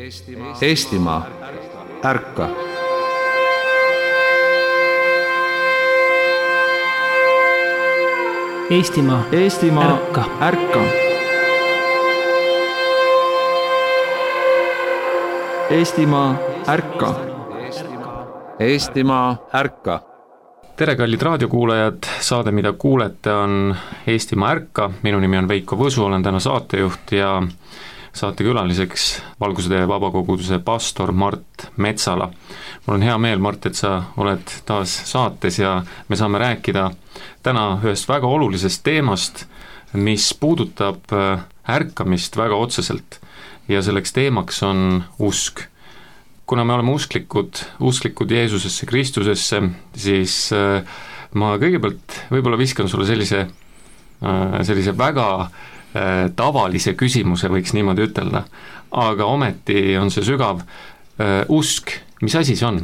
Eestimaa, ärka! Eestimaa, ärka! Ärka! Eestimaa, ärka! Eestimaa, ärka! Tere, kallid raadiokuulajad, saade, mida kuulete, on Eestimaa ärka. Minu nimi on Veiko Võsu, olen täna saatejuht ja saatekülaliseks Valguse vabakoguduse pastor Mart Metsala. Mul on hea meel, Mart, et sa oled taas saates ja me saame rääkida täna ühest väga olulisest teemast, mis puudutab ärkamist väga otseselt ja selleks teemaks on usk. Kuna me oleme usklikud Jeesusesse, Kristusesse, siis ma kõigepealt võib-olla viskan sulle sellise väga tavalise küsimuse, võiks niimoodi ütelda, aga ometi on see sügav usk. Mis asi see on?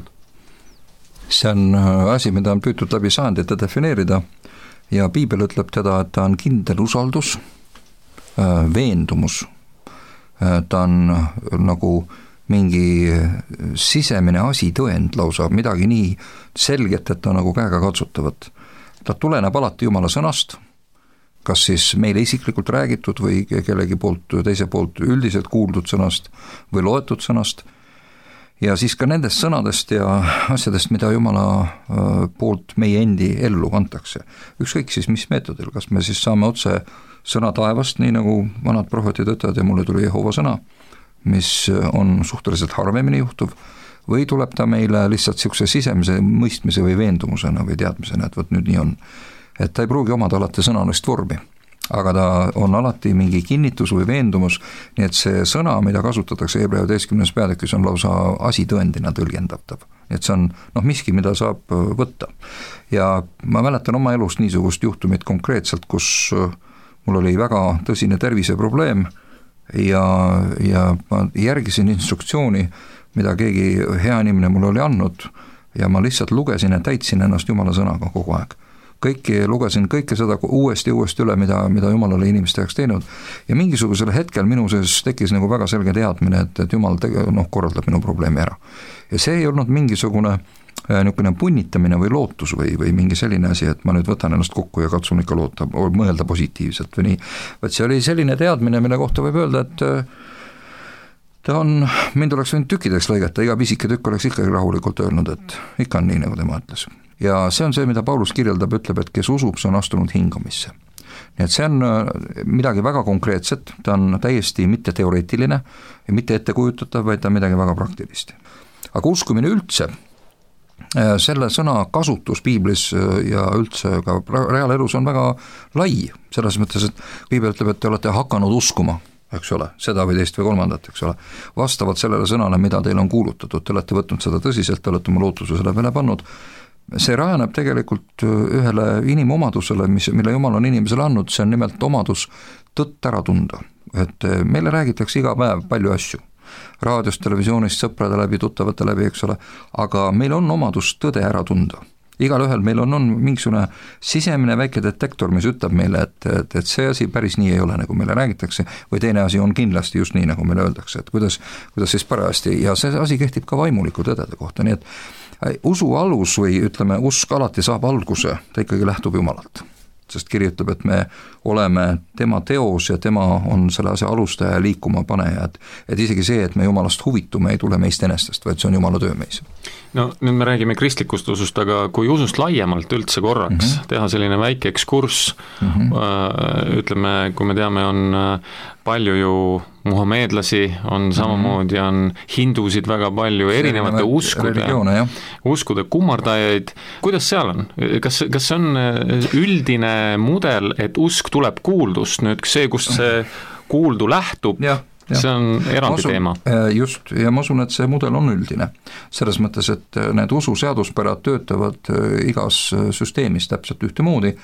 See on asi, mida on püütud läbi sajandite defineerida ja Piibel ütleb teda, et ta on kindel usaldus, veendumus, ta on nagu mingi sisemine asitõend lausa, midagi nii selget, et ta nagu käega katsutavat. Ta tuleneb alati Jumala sõnast, kas siis meile isiklikult räägitud või kellegi poolt, teise poolt üldiselt kuuldud sõnast või loetud sõnast, ja siis ka nendest sõnadest ja asjadest, mida Jumala poolt meie endi ellu antakse. Ükskõik siis mis meetodil, kas me siis saame otse sõna taevast, nii nagu vanad prohvetid ütlevad ja mulle tuli Jehova sõna, mis on suhteliselt harvemini juhtuv, või tuleb ta meile lihtsalt niisuguse sisemise mõistmise või veendumusena või teadmisena, et võt nüüd nii on. Et ta ei pruugi omada alati sõnalist vormi, aga ta on alati mingi kinnitus või veendumus, nii et see sõna, mida kasutatakse Hebra 11. peatükis, on lausa asitõendina tõlgendatav. Et see on miski, mida saab võtta. Ja ma mäletan oma elust niisugust juhtumit konkreetselt, kus mul oli väga tõsine terviseprobleem ja ma järgisin instruktsiooni, mida keegi hea inimene mulle oli andnud ja ma lihtsalt lugesin ja täitsin ennast Jumala sõnaga kogu aeg. Lugesin kõike seda uuesti üle, mida Jumal oli inimeste jaoks teinud ja mingisugusel hetkel minu sees tekkis nagu väga selge teadmine, et Jumal korraldab minu probleemi ära. Ja see ei olnud mingisugune niisugune punnitamine või lootus või mingi selline asi, et ma nüüd võtan ennast kokku ja katsun ikka loota, mõelda positiivselt või nii. Vaid see oli selline teadmine, mille kohta võib öelda, et mind oleks võinud tükkideks lõigata, iga pisike tükk oleks ikkagi rahulikult öelnud, et ikka on nii, nagu tema ütles. Ja see on see, mida Paulus kirjeldab, ütleb, et kes usub, see on astunud hingamisse. Nii et see on midagi väga konkreetset, ta on täiesti mitte teoreetiline ja mitte ettekujutatav, vaid ta on midagi väga praktilist. Aga uskumine üldse, selle sõna kasutus Piiblis ja üldse ka reaalelus on väga lai, selles mõttes, et Piibel ütleb, et te olete hakanud uskuma, eks ole, seda või teist või kolmandat, eks ole, vastavalt sellele sõnale, mida teil on kuulutatud, te olete võtnud seda tõsiselt, te olete oma lootuse selle peale pannud. See rajaneb tegelikult ühele inimomadusele, mille Jumal on inimesele andnud, see on nimelt omadus tõtt ära tunda. Et meile räägitakse iga päev palju asju, raadiost, televisioonist, sõprade läbi, tuttavate läbi, eks ole, aga meil on omadus tõde ära tunda. Igal ühel meil on mingisugune sisemine väike detektor, mis ütleb meile, et see asi päris nii ei ole, nagu meile räägitakse, või teine asi on kindlasti just nii, nagu meile öeldakse, et kuidas siis parajasti, ja see asi kehtib ka vaimuliku tõdede kohta, nii et usu alus või ütleme, usk alati saab alguse, ta ikkagi lähtub Jumalalt. Sest kiri ütleb, et me oleme tema teos ja tema on selle asja alustaja ja liikuma paneja, et isegi see, et me Jumalast huvitume, ei tule meist enestest, vaid see on Jumala töö meis. No nüüd me räägime kristlikust usust, aga kui usust laiemalt üldse korraks teha selline väike ekskurss, ütleme, kui me teame, on palju ju muhameedlasi, on samamoodi on hindusid väga palju, erinevate uskude kummardajaid. Kuidas seal on? Kas see on üldine mudel, et usk tuleb kuuldust, nüüd see, kust see kuuldu lähtub, see on eraldi teema. Just, ja ma usun, et see mudel on üldine. Selles mõttes, et need ususeaduspärad töötavad igas süsteemis täpselt ühtemoodi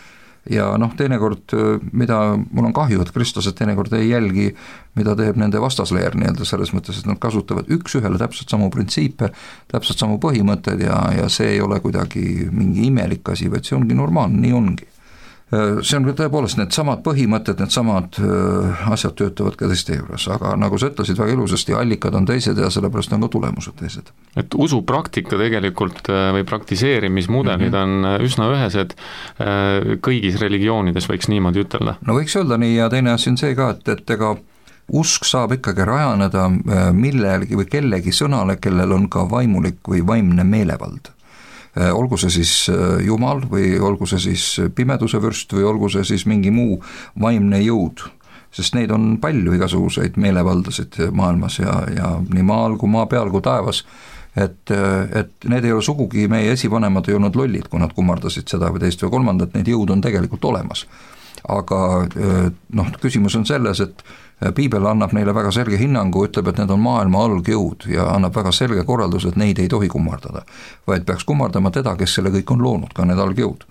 ja teinekord, mida mul on kahju, et kristlased teinekord ei jälgi, mida teeb nende vastasleer nii-öelda selles mõttes, et nad kasutavad üks-ühele täpselt samu printsiipe, täpselt samu põhimõtted ja see ei ole kuidagi mingi imelik asi, vaid see ongi normaalne, nii ongi. see on tõepoolest need samad põhimõtted, need samad asjad töötavad ka teiste juures, aga nagu sa ütlesid väga ilusasti, allikad on teised ja sellepärast on ka tulemused teised. Et usupraktika tegelikult või praktiseerimismudelid on üsna ühesed kõigis religioonides, võiks niimoodi ütelda. No võiks öelda nii ja teine asi on see ka, et ega usk saab ikkagi rajaneda millelgi või kellegi sõnale, kellel on ka vaimulik või vaimne meelevald. Olgu see siis Jumal või olgu see siis pimeduse vürst või olgu see siis mingi muu vaimne jõud, sest neid on palju igasuguseid meelevaldasid maailmas ja nii maal kui maa peal kui taevas, et need ei ole sugugi, meie esivanemad ei olnud lollid, kui nad kummardasid seda või teist või kolmandat, need jõud on tegelikult olemas. Aga küsimus on selles, et piibel annab neile väga selge hinnangu, ütleb, et need on maailma algjõud ja annab väga selge korraldus, et neid ei tohi kummardada, vaid peaks kummardama teda, kes selle kõik on loonud, ka need algjõud.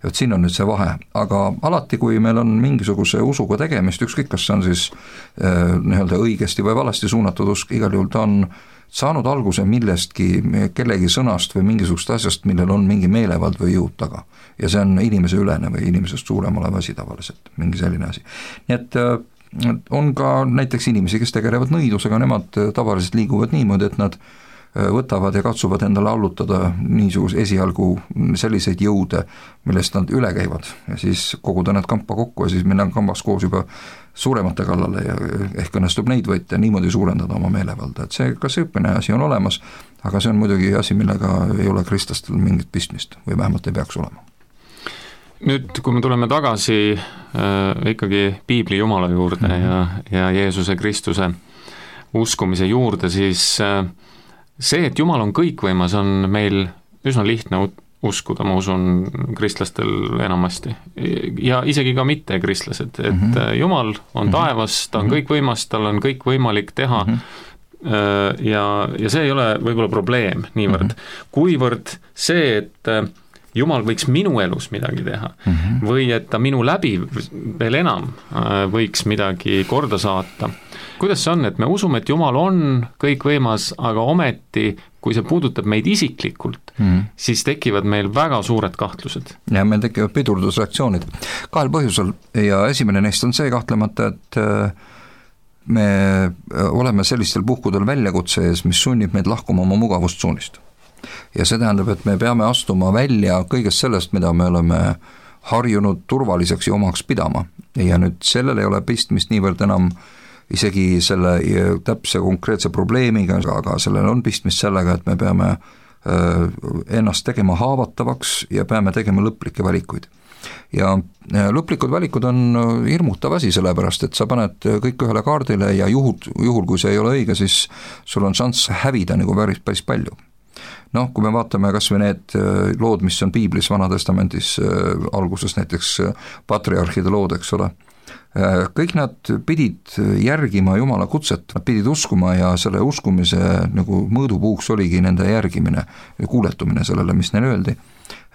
Ja siin on nüüd see vahe, aga alati, kui meil on mingisuguse usuga tegemist, ükskõik kas see on siis nii-öelda õigesti või valesti suunatud usk, igal juhul ta on saanud alguse millestki, kellegi sõnast või mingisugust asjast, millel on mingi meelevald või jõud taga. Ja see on inimese ülene või inimesest suurem olev asi tavaliselt, mingi selline asi. Nii et on ka näiteks inimesi, kes tegelevad nõidusega, nemad tavaliselt liiguvad niimoodi, et nad võtavad ja katsuvad endale allutada niisuguse esialgu selliseid jõude, millest nad üle käivad ja siis koguda need kampa kokku ja siis minna kambas koos juba suuremate kallale ja ehk õnnestub neid võita ja niimoodi suurendada oma meelevalda, et see, kas õppine asi on olemas, aga see on muidugi asi, millega ei ole kristlastel mingit pistmist või vähemalt ei peaks olema. Nüüd, kui me tuleme tagasi ikkagi piibli Jumala juurde ja Jeesuse Kristuse uskumise juurde, siis see, et Jumal on kõikvõimas, on meil üsna lihtne uskuda, ma usun, kristlastel enamasti. Ja isegi ka mitte kristlased, et Jumal on taevas, ta on kõikvõimas, tal on kõik võimalik teha ja see ei ole võib-olla probleem niivõrd. Kuivõrd see, et Jumal võiks minu elus midagi teha või et ta minu läbi veel enam võiks midagi korda saata. Kuidas see on, et me usume, et Jumal on kõikvõimas, aga ometi, kui see puudutab meid isiklikult, siis tekivad meil väga suured kahtlused. Ja meil tekivad pidurdusreaktsioonid kahel põhjusel ja esimene neist on see kahtlemata, et me oleme sellistel puhkudel väljakutse ees, mis sunnib meid lahkuma oma mugavustsuunist. Ja see tähendab, et me peame astuma välja kõigest sellest, mida me oleme harjunud turvaliseks ja omaks pidama. Ja nüüd sellel ei ole pistmist niivõrd enam isegi selle täpse konkreetse probleemiga, aga sellel on pistmist sellega, et me peame ennast tegema haavatavaks ja peame tegema lõplikke valikuid. Ja lõplikud valikud on hirmutav asi, sellepärast, et sa paned kõik ühele kaardile ja juhul kui see ei ole õige, siis sul on šanss hävida nagu päris palju. Kui me vaatame kas või need lood, mis on piiblis Vanatestamendis alguses näiteks patriarhide lood, eks ole, kõik nad pidid järgima Jumala kutset, nad pidid uskuma ja selle uskumise nagu mõõdupuuks oligi nende järgimine ja kuuletumine sellele, mis neile öeldi.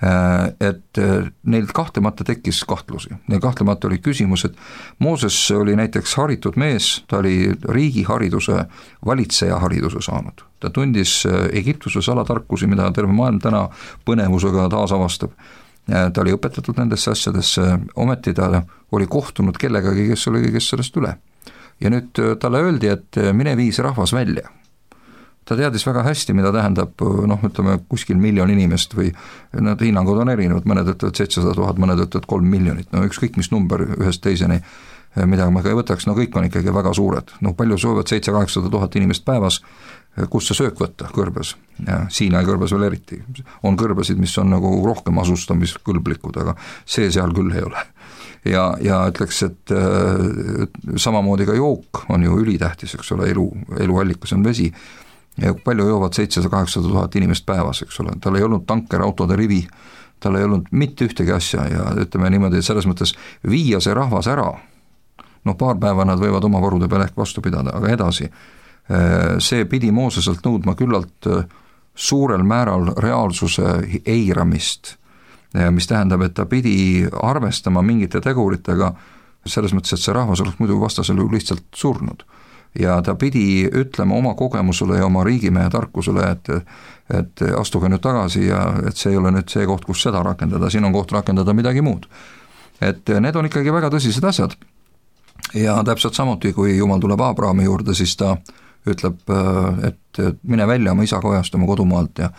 Et neil kahtlemata tekkis kahtlusi. Neil kahtlemata oli küsimus, et Mooses oli näiteks haritud mees, ta oli riigihariduse, valitseja hariduse saanud. Ta tundis Egiptuse salatarkusi, mida terve maailm täna põnevusega taas avastab. Ta oli õpetatud nendesse asjadesse, ometi ta oli kohtunud kellegagi, kes oli kõigest sellest üle. Ja nüüd talle öeldi, et mine vii see rahvas välja. Ta teadis väga hästi, mida tähendab, ütleme, kuskil 1 miljon inimest või need hinnangud on erinevad, mõned ütlevad 700 000, mõned ütlevad 3 miljonit, ükskõik mis number ühest teiseni, mida ma ka ei võtaks, kõik on ikkagi väga suured. Palju soovivad 700-800 000 inimest päevas, kus see söök võtta kõrbes, ja Siinai kõrbes veel eriti. On kõrbesid, mis on nagu rohkem asustamiskõlblikud, aga see seal küll ei ole. Ja ütleks, et samamoodi ka jook on ju ülitähtis, eks ole, eluallikas on vesi, ja palju joovad 700-800 000 inimest päevas, eks ole, tal ei olnud tankerautode rivi, tal ei olnud mitte ühtegi asja ja ütleme niimoodi, et selles mõttes viia see rahvas ära, paar päeva nad võivad oma varude peale ehk vastu pidada, aga edasi, see pidi Mooseselt nõudma küllalt suurel määral reaalsuse eiramist, mis tähendab, et ta pidi arvestama mingite teguritega, selles mõttes, et see rahvas oleks muidu vastasel ju lihtsalt surnud. Ja ta pidi ütlema oma kogemusele ja oma riigimehe tarkusele, et astuge nüüd tagasi ja et see ei ole nüüd see koht, kus seda rakendada, siin on koht rakendada midagi muud. et need on ikkagi väga tõsised asjad. Ja täpselt samuti, kui Jumal tuleb Abrahami juurde, siis ta ütleb, et mine välja oma isa kojast, oma kodumaalt ja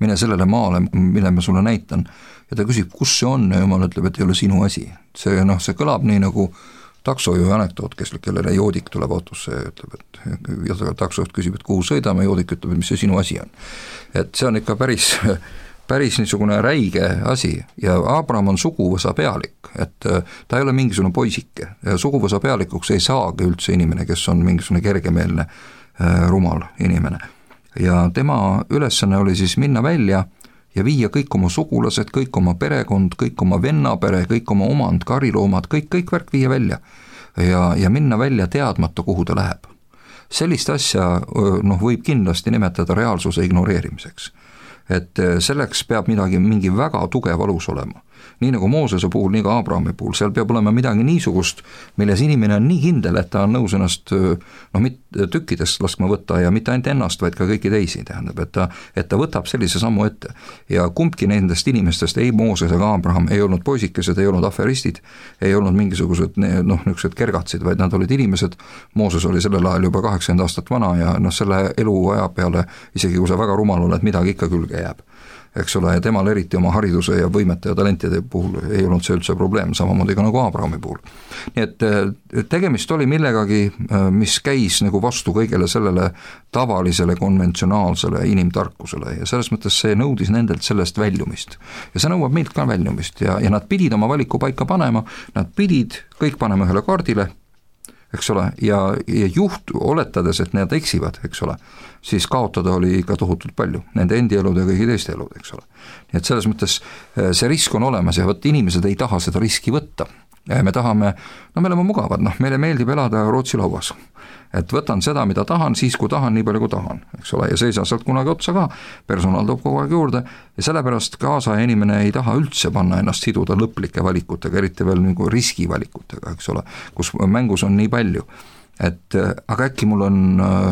mine sellele maale, mille ma sulle näitan. Ja ta küsib, kus see on ja Jumal ütleb, et ei ole sinu asi. See kõlab nii nagu taksojuhi anekdoot, kellele joodik tuleb autosse ja ütleb, et ja taksojuht küsib, et kuhu sõidame, joodik ütleb, et mis see sinu asi on. Et see on ikka päris niisugune räige asi ja Abraham on suguvõsa pealik, et ta ei ole mingisugune poisike ja suguvõsa pealikuks ei saagi üldse inimene, kes on mingisugune kergemeelne rumal inimene. Ja tema ülesanne oli siis minna välja ja viia kõik oma sugulased, kõik oma perekond, kõik oma vennapere, kõik oma omand, kariloomad, kõik värk viia välja ja minna välja teadmata, kuhu ta läheb. Sellist asja võib kindlasti nimetada reaalsuse ignoreerimiseks. Et selleks peab mingi väga tugev alus olema. Nii nagu Moosese puhul, nii ka Abrahami puhul, seal peab olema midagi niisugust, milles inimene on nii kindel, et ta on nõus ennast mitte tükkidest laskma võtta ja mitte ainult ennast, vaid ka kõiki teisi, tähendab, et ta võtab sellise sammu ette. Ja kumbki nendest inimestest, ei Mooses ega Abraham, ei olnud poisikesed, ei olnud aferistid, ei olnud mingisugused niisugused kergatsid, vaid nad olid inimesed. Mooses oli sellel ajal juba 80 aastat vana ja selle eluaja peale, isegi kui sa väga rumal oled, midagi ikka külge jääb. Eks ole, ja temal eriti oma hariduse ja võimete ja talentide puhul ei olnud see üldse probleem, samamoodi ka nagu Abrahami puhul. Nii et tegemist oli millegagi, mis käis nagu vastu kõigele sellele tavalisele konventsionaalsele inimtarkusele ja selles mõttes see nõudis nendelt sellest väljumist. Ja see nõuab meilt ka väljumist ja nad pidid oma valiku paika panema, nad pidid kõik panema ühele kaardile, eks ole, ja oletades, et need eksivad, eks ole, siis kaotada oli ikka tohutult palju, nende endi elud ja kõigi teiste elud, eks ole. Nii et selles mõttes see risk on olemas ja võt inimesed ei taha seda riski võtta. Ja me tahame, me oleme mugavad, meile meeldib elada Rootsi lauas. Et võtan seda, mida tahan, siis kui tahan, nii palju kui tahan, eks ole, ja see ei saa sealt kunagi otsa ka, personaal toob kogu aeg juurde ja sellepärast kaasaja inimene ei taha üldse panna ennast siduda lõplike valikutega, eriti veel nagu riskivalikutega, eks ole, kus mängus on nii palju. Et aga äkki mul on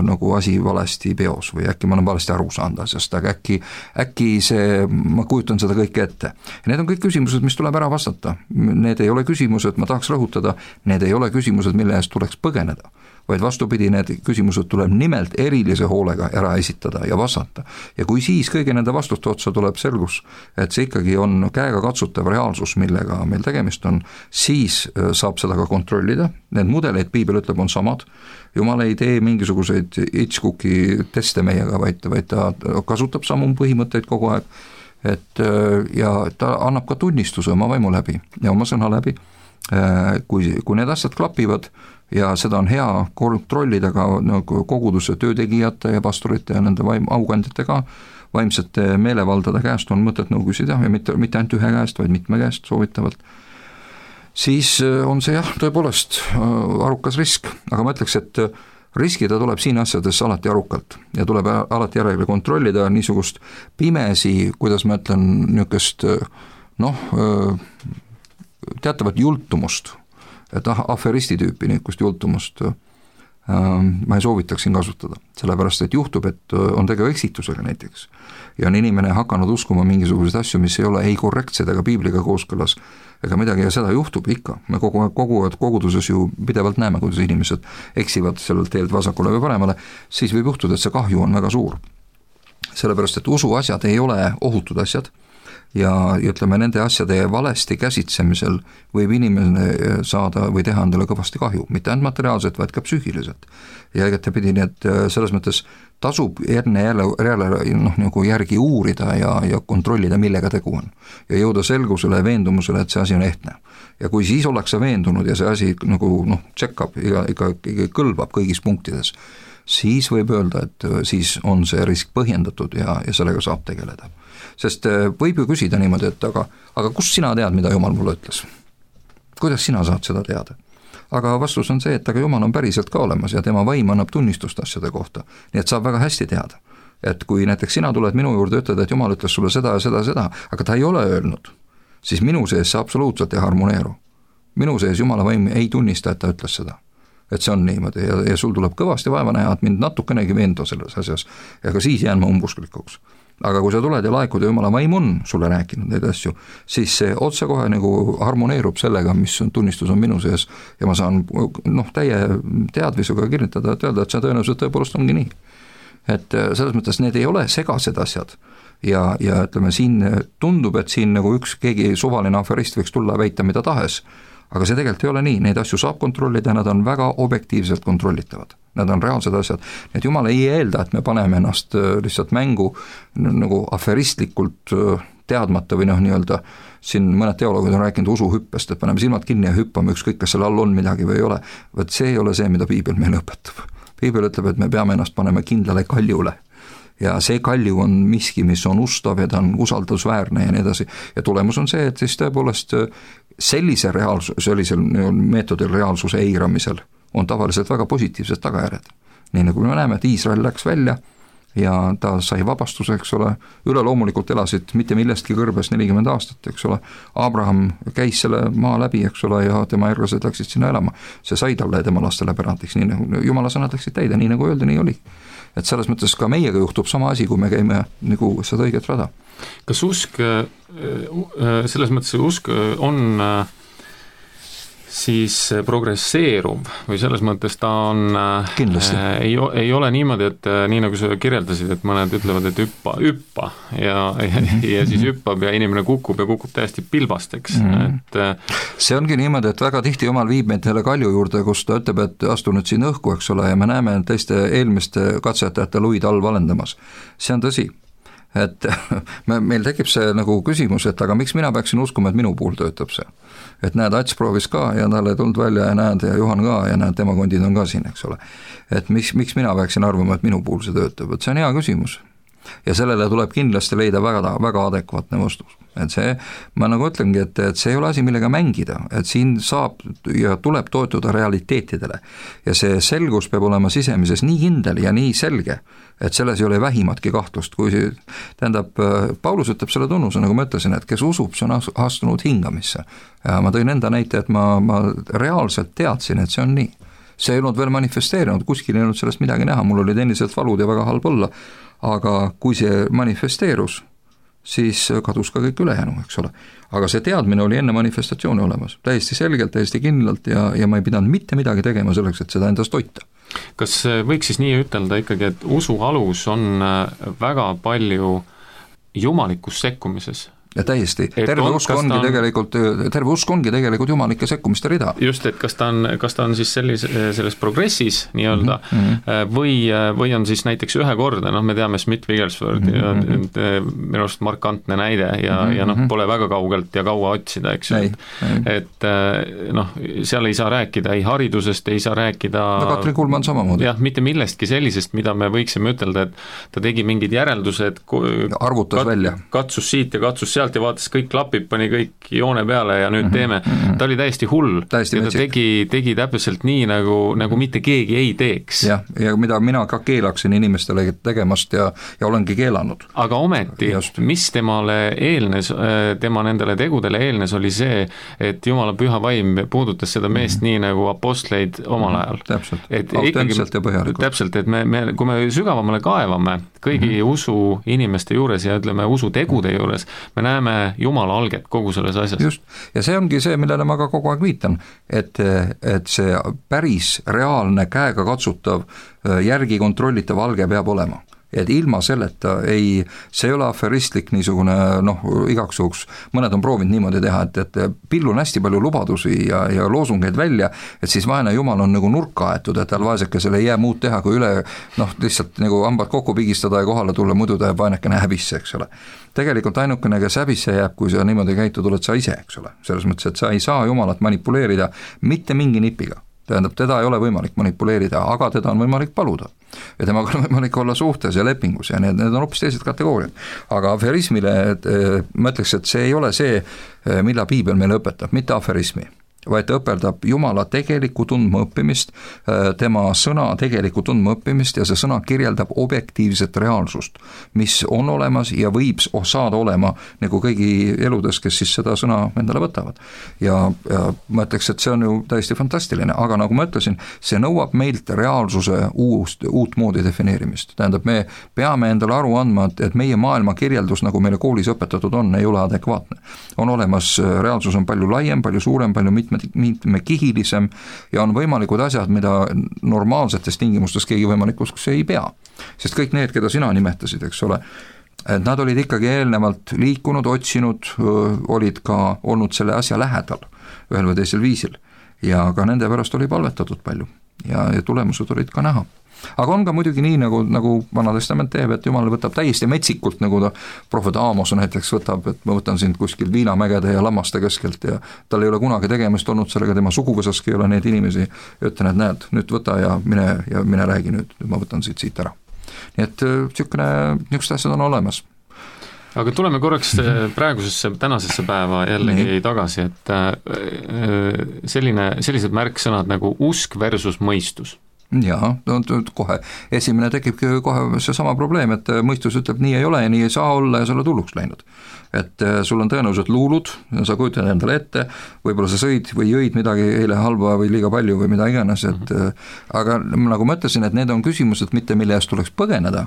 nagu asi valesti peos või äkki ma olen valesti aru saanud asjast, aga äkki see, ma kujutan seda kõike ette. Ja need on kõik küsimused, mis tuleb ära vastata. Need ei ole küsimused, ma tahaks rõhutada, need ei ole küsimused, mille eest tuleks põgeneda, vaid vastupidi, need küsimused tuleb nimelt erilise hoolega ära esitada ja vastata. Ja kui siis kõigi nende vastuste otsa tuleb selgus, et see ikkagi on käega katsutav reaalsus, millega meil tegemist on, siis saab seda ka kontrollida. Need mudeleid, piibel ütleb, on samad. Jumal ei tee mingisuguseid Hitchcooki teste meiega, vaid ta kasutab samu põhimõtteid kogu aeg. Ja ta annab ka tunnistuse oma vaimu läbi ja oma sõna läbi. Kui need asjad klapivad, ja seda on hea kontrollida ka koguduse töötegijate ja pastorite ja nende aukandjatega, vaimsete meelevaldade käest on mõtet nõu küsida ja mitte ainult ühe käest, vaid mitme käest soovitavalt. Siis on see tõepoolest arukas risk, aga ma ütleks, et riskida tuleb siin asjades alati arukalt ja tuleb alati järele kontrollida niisugust pimesi, kuidas ma ütlen, niisugust teatavat jultumust, et aferisti tüüpi niisugust jultumust ma ei soovitaks siin kasutada, sellepärast et juhtub, et on tegu eksitusega näiteks ja on inimene hakanud uskuma mingisuguseid asju, mis ei ole ei korrektsed ega piibliga kooskõlas ega midagi ja seda juhtub ikka. Me koguduses ju pidevalt näeme, kuidas inimesed eksivad sellelt teelt vasakule või paremale, siis võib juhtuda, et see kahju on väga suur. Sellepärast, et usuasjad ei ole ohutud asjad ja ütleme, nende asjade valesti käsitsemisel võib inimene saada või teha endale kõvasti kahju, mitte ainult materiaalselt, vaid ka psüühiliselt. Ja egetapidi, nii et selles mõttes tasub enne nagu järgi uurida ja kontrollida, millega tegu on. Ja jõuda selgusele ja veendumusele, et see asi on ehtne. Ja kui siis ollakse veendunud ja see asi nagu tšekkab, ikka kõlbab kõigis punktides, siis võib öelda, et siis on see risk põhjendatud ja sellega saab tegeleda. Sest võib ju küsida niimoodi, et aga kust sina tead, mida Jumal mulle ütles? Kuidas sina saad seda teada? Aga vastus on see, et aga Jumal on päriselt ka olemas ja tema vaim annab tunnistust asjade kohta. Nii et saab väga hästi teada. Et kui näiteks sina tuled minu juurde ja ütled, et Jumal ütles sulle seda ja seda, aga ta ei ole öelnud, siis minu sees see absoluutselt ei harmoneeru. Minu sees Jumala vaim ei tunnista, et ta ütles seda. Et see on niimoodi ja sul tuleb kõvasti vaeva näha, et mind natukenegi veenda selles asjas ja ka siis jään ma umbusklikuks. aga kui sa tuled ja laekud ja jumala vaim on sulle rääkinud neid asju, siis see otsekohe nagu harmoneerub sellega, mis on tunnistus on minu sees ja ma saan täie teadvisuga kinnitada, et öelda, et see tõenäoliselt tõepoolest ongi nii. Et selles mõttes need ei ole segased asjad ja ütleme, siin tundub, et siin nagu keegi suvaline aferist võiks tulla ja väita mida tahes, aga see tegelikult ei ole nii, neid asju saab kontrollida, nad on väga objektiivselt kontrollitavad. Nad on reaalsed asjad, et jumal ei eelda, et me paneme ennast lihtsalt mängu nagu aferistlikult teadmata või nii-öelda, siin mõned teoloogid on rääkinud usuhüppest, et paneme silmad kinni ja hüppame, ükskõik kas seal all on midagi või ei ole, vaid see ei ole see, mida piibel meile õpetab. Piibel ütleb, et me peame ennast panema kindlale kaljule ja see kalju on miski, mis on ustav ja ta on usaldusväärne ja nii edasi ja tulemus on see, et siis tõepoolest sellisel meetodil reaalsuse eiramisel on tavaliselt väga positiivsed tagajärjed. Nii nagu me näeme, et Iisrael läks välja ja ta sai vabastuse, eks ole, üleloomulikult elasid mitte millestki kõrbes 40 aastat, eks ole, Abraham käis selle maa läbi, eks ole, ja tema järglased läksid sinna elama, see sai talle ja tema lastele pärandiks, nii nagu Jumala sõnad läksid täide, nii nagu öeldi, nii oli. Et selles mõttes ka meiega juhtub sama asi, kui me käime nagu seda õiget rada. Kas usk, selles mõttes usk on siis progresseeruv või selles mõttes ta on ei ole niimoodi, et nii nagu sa kirjeldasid, et mõned ütlevad, et hüppa ja siis hüppab ja inimene kukub täiesti pilbasteks. Et see ongi niimoodi, et väga tihti Jumal viib meid selle kalju juurde, kus ta ütleb, et astu nüüd siin õhku, eks ole, ja me näeme teiste eelmiste katsetajate luid all valendamas. See on tõsi. Et meil tekib see nagu küsimus, et aga miks mina peaksin uskuma, et minu puhul töötab see? Et näed, Ats proovis ka ja talle ei tulnud välja ja näed, ja Juhan ka ja näed, tema kondid on ka siin, eks ole. Et miks mina peaksin arvama, et minu puhul see töötab? Et see on hea küsimus. Ja sellele tuleb kindlasti leida väga, väga adekvaatne vastus. Et see, ma nagu ütlengi, et see ei ole asi, millega mängida, et siin saab ja tuleb toetuda realiteetidele ja see selgus peab olema sisemises nii kindel ja nii selge, et selles ei ole vähimatki kahtlust, kui tähendab, Paulus ütleb selle tunnuse, nagu ma ütlesin, et kes usub, see on astunud hingamisse ja ma tõin enda näite, et ma reaalselt teadsin, et see on nii. See ei olnud veel manifesteerinud, kuskil ei olnud sellest midagi näha, mul olid endiselt valud ja väga halb olla, aga kui see manifesteerus, siis kadus ka kõik ülejäänu, eks ole. Aga see teadmine oli enne manifestatsiooni olemas, täiesti selgelt, täiesti kindlalt ja ma ei pidanud mitte midagi tegema selleks, et seda endast hoita. Kas võiks siis nii ütelda ikkagi, et usu alus on väga palju jumalikus sekkumises? Ja täiesti, terve usk ongi tegelikult jumalike sekkumiste rida. Just, et kas ta on siis selles progressis nii-öelda või on siis näiteks ühekordne, me teame Smith Wigglesworth ja minu arust markantne näide ja pole väga kaugelt ja kaua otsida, eks ju. Et seal ei saa rääkida ei haridusest, ei saa rääkida Katrin Kuhlmann samamoodi. Jah, mitte millestki sellisest, mida me võiksime ütelda, et ta tegi mingid järeldused, arvutas välja. Katsus siit ja katsus sealt ja vaatas, kõik klapib, pani kõik joone peale ja nüüd teeme. Ta oli täiesti hull ja ta tegi täpselt nii, nagu mitte keegi ei teeks. Ja mida mina ka keelaksin inimestele tegemast ja olengi keelanud. Aga ometi, mis temale eelnes, tema nendele tegudele eelnes, oli see, et Jumala püha vaim puudutas seda meest nii nagu apostleid omal ajal. Täpselt, autentselt ja põhjalikult. Täpselt, et kui me sügavamale kaevame kõigi usu inimeste juures ja ütleme usu tegude juures, me näeme Jumala alget kogu selles asjas. Just, ja see ongi see, millele ma ka kogu aeg viitan, et see päris reaalne käega katsutav järgi kontrollitav alge peab olema. Et ilma selleta see ei ole aferistlik niisugune, igaks juhuks, mõned on proovinud niimoodi teha, et pillun hästi palju lubadusi ja loosungeid välja, et siis vaene Jumal on nagu nurka aetud, et tal vaesekesele ei jää muud teha, kui lihtsalt nagu hambad kokku pigistada ja kohale tulla, muidu ta jääb vaenekene häbisse, eks ole. Tegelikult ainukene, kes häbisse jääb, kui sa niimoodi käitud, oled sa ise, eks ole. Selles mõttes, et sa ei saa Jumalat manipuleerida mitte mingi nipiga. Tähendab, teda ei ole võimalik manipuleerida, aga teda on võimalik paluda. Ja temaga on võimalik olla suhtes ja lepingus ja need on hoopis teised kategooriad. Aga aferismile ma ütleks, et see ei ole see, mida piibel meile õpetab, mitte aferismi. vaid ta õpeldab Jumala tegelikku tundmaõppimist, tema sõna tegelikku tundmaõppimist ja see sõna kirjeldab objektiivset reaalsust, mis on olemas ja võib saada olema nagu kõigi eludes, kes siis seda sõna endale võtavad. Ja ma ütleks, et see on ju täiesti fantastiline, aga nagu ma ütlesin, see nõuab meilt reaalsuse uut moodi defineerimist. Tähendab, me peame endale aru andma, et meie maailma kirjeldus, nagu meile koolis õpetatud on, ei ole adekvaatne. On olemas, reaalsus on palju laiem, palju suurem, palju mitmekihilisem ja on võimalikud asjad, mida normaalsetes tingimustes keegi võimalikuks ei pea. Sest kõik need, keda sina nimetasid, eks ole, et nad olid ikkagi eelnevalt liikunud, otsinud, olid ka olnud selle asja lähedal ühel või teisel viisil ja ka nende pärast oli palvetatud palju ja tulemused olid ka näha. Aga on ka muidugi nii, nagu Vana Testament teeb, et Jumal võtab täiesti metsikult, nagu ta prohvet Aamos näiteks võtab, et ma võtan sind kuskil viinamägede ja lammaste keskelt ja tal ei ole kunagi tegemist olnud sellega, tema suguvõsaski ei ole neid inimesi, ja ütlen, et näed, nüüd võta ja mine räägi nüüd ma võtan siit ära. Nii et niisugused asjad on olemas. Aga tuleme korraks praegusesse, tänasesse päeva jällegi tagasi, et sellised märksõnad nagu usk versus mõistus. Jaa, kohe esimene tekibki kohe see sama probleem, et mõistus ütleb, nii ei ole ja nii ei saa olla ja sa oled hulluks läinud. Et sul on tõenäoliselt luulud, sa kujutad endale ette, võib-olla sa sõid või jõid midagi eile halba või liiga palju või mida iganes, et aga nagu ma ütlesin, et need on küsimused mitte, mille eest tuleks põgeneda,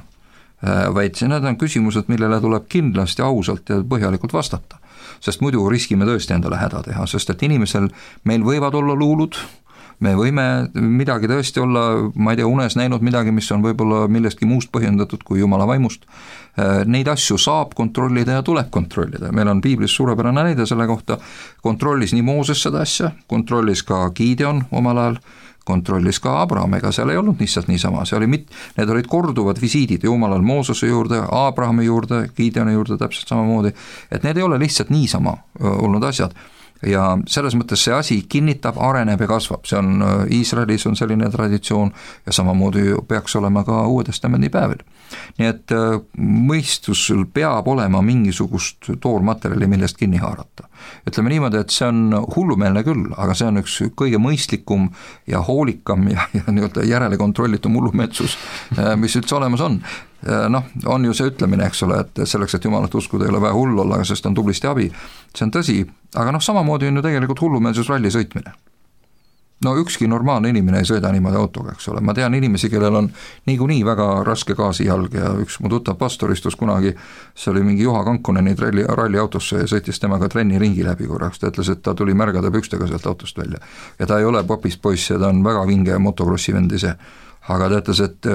vaid need on küsimused, millele tuleb kindlasti ausalt ja põhjalikult vastata. Sest muidu riskime tõesti endale häda teha, sest et inimesel meil võivad olla luulud, me võime midagi tõesti olla, ma ei tea, unes näinud midagi, mis on võib-olla millestki muust põhjendatud kui Jumala vaimust. Neid asju saab kontrollida ja tuleb kontrollida. Meil on piiblis suurepärane näide selle kohta, kontrollis nii Mooses seda asja, kontrollis ka Gideon omal ajal, kontrollis ka Abraham, ega seal ei olnud lihtsalt niisama, need olid korduvad visiidid Jumalal Moosese juurde, Abrahami juurde, Gideoni juurde täpselt samamoodi, et need ei ole lihtsalt niisama olnud asjad. Ja selles mõttes see asi kinnitab, areneb ja kasvab, see on Iisraelis on selline traditsioon ja samamoodi peaks olema ka Uue Testamendi päevil. Nii et mõistusel peab olema mingisugust toormaterjali, millest kinni haarata. Ütleme niimoodi, et see on hullumeelne küll, aga see on üks kõige mõistlikum ja hoolikam ja nii-öelda järele kontrollitum hullumeelsus, mis üldse olemas on. On ju see ütlemine, eks ole, et selleks, et Jumalat uskuda ei ole vaja hull olla, sest on tublisti abi, see on tõsi, aga samamoodi on ju tegelikult hullumeelsus ralli sõitmine. Ükski normaalne inimene ei sõida niimoodi autoga, eks ole, ma tean inimesi, kellel on niikuinii väga raske gaasijalg ja üks mu tuttav pastor istus kunagi, see oli mingi Juha Kankoneni ralli autosse ja sõitis temaga trenni ringi läbi korraks, ta ütles, et ta tuli märgade pükstega sealt autost välja ja ta ei ole popist poiss ja ta on väga vinge motokrossi vend ise. Aga ta ütles, et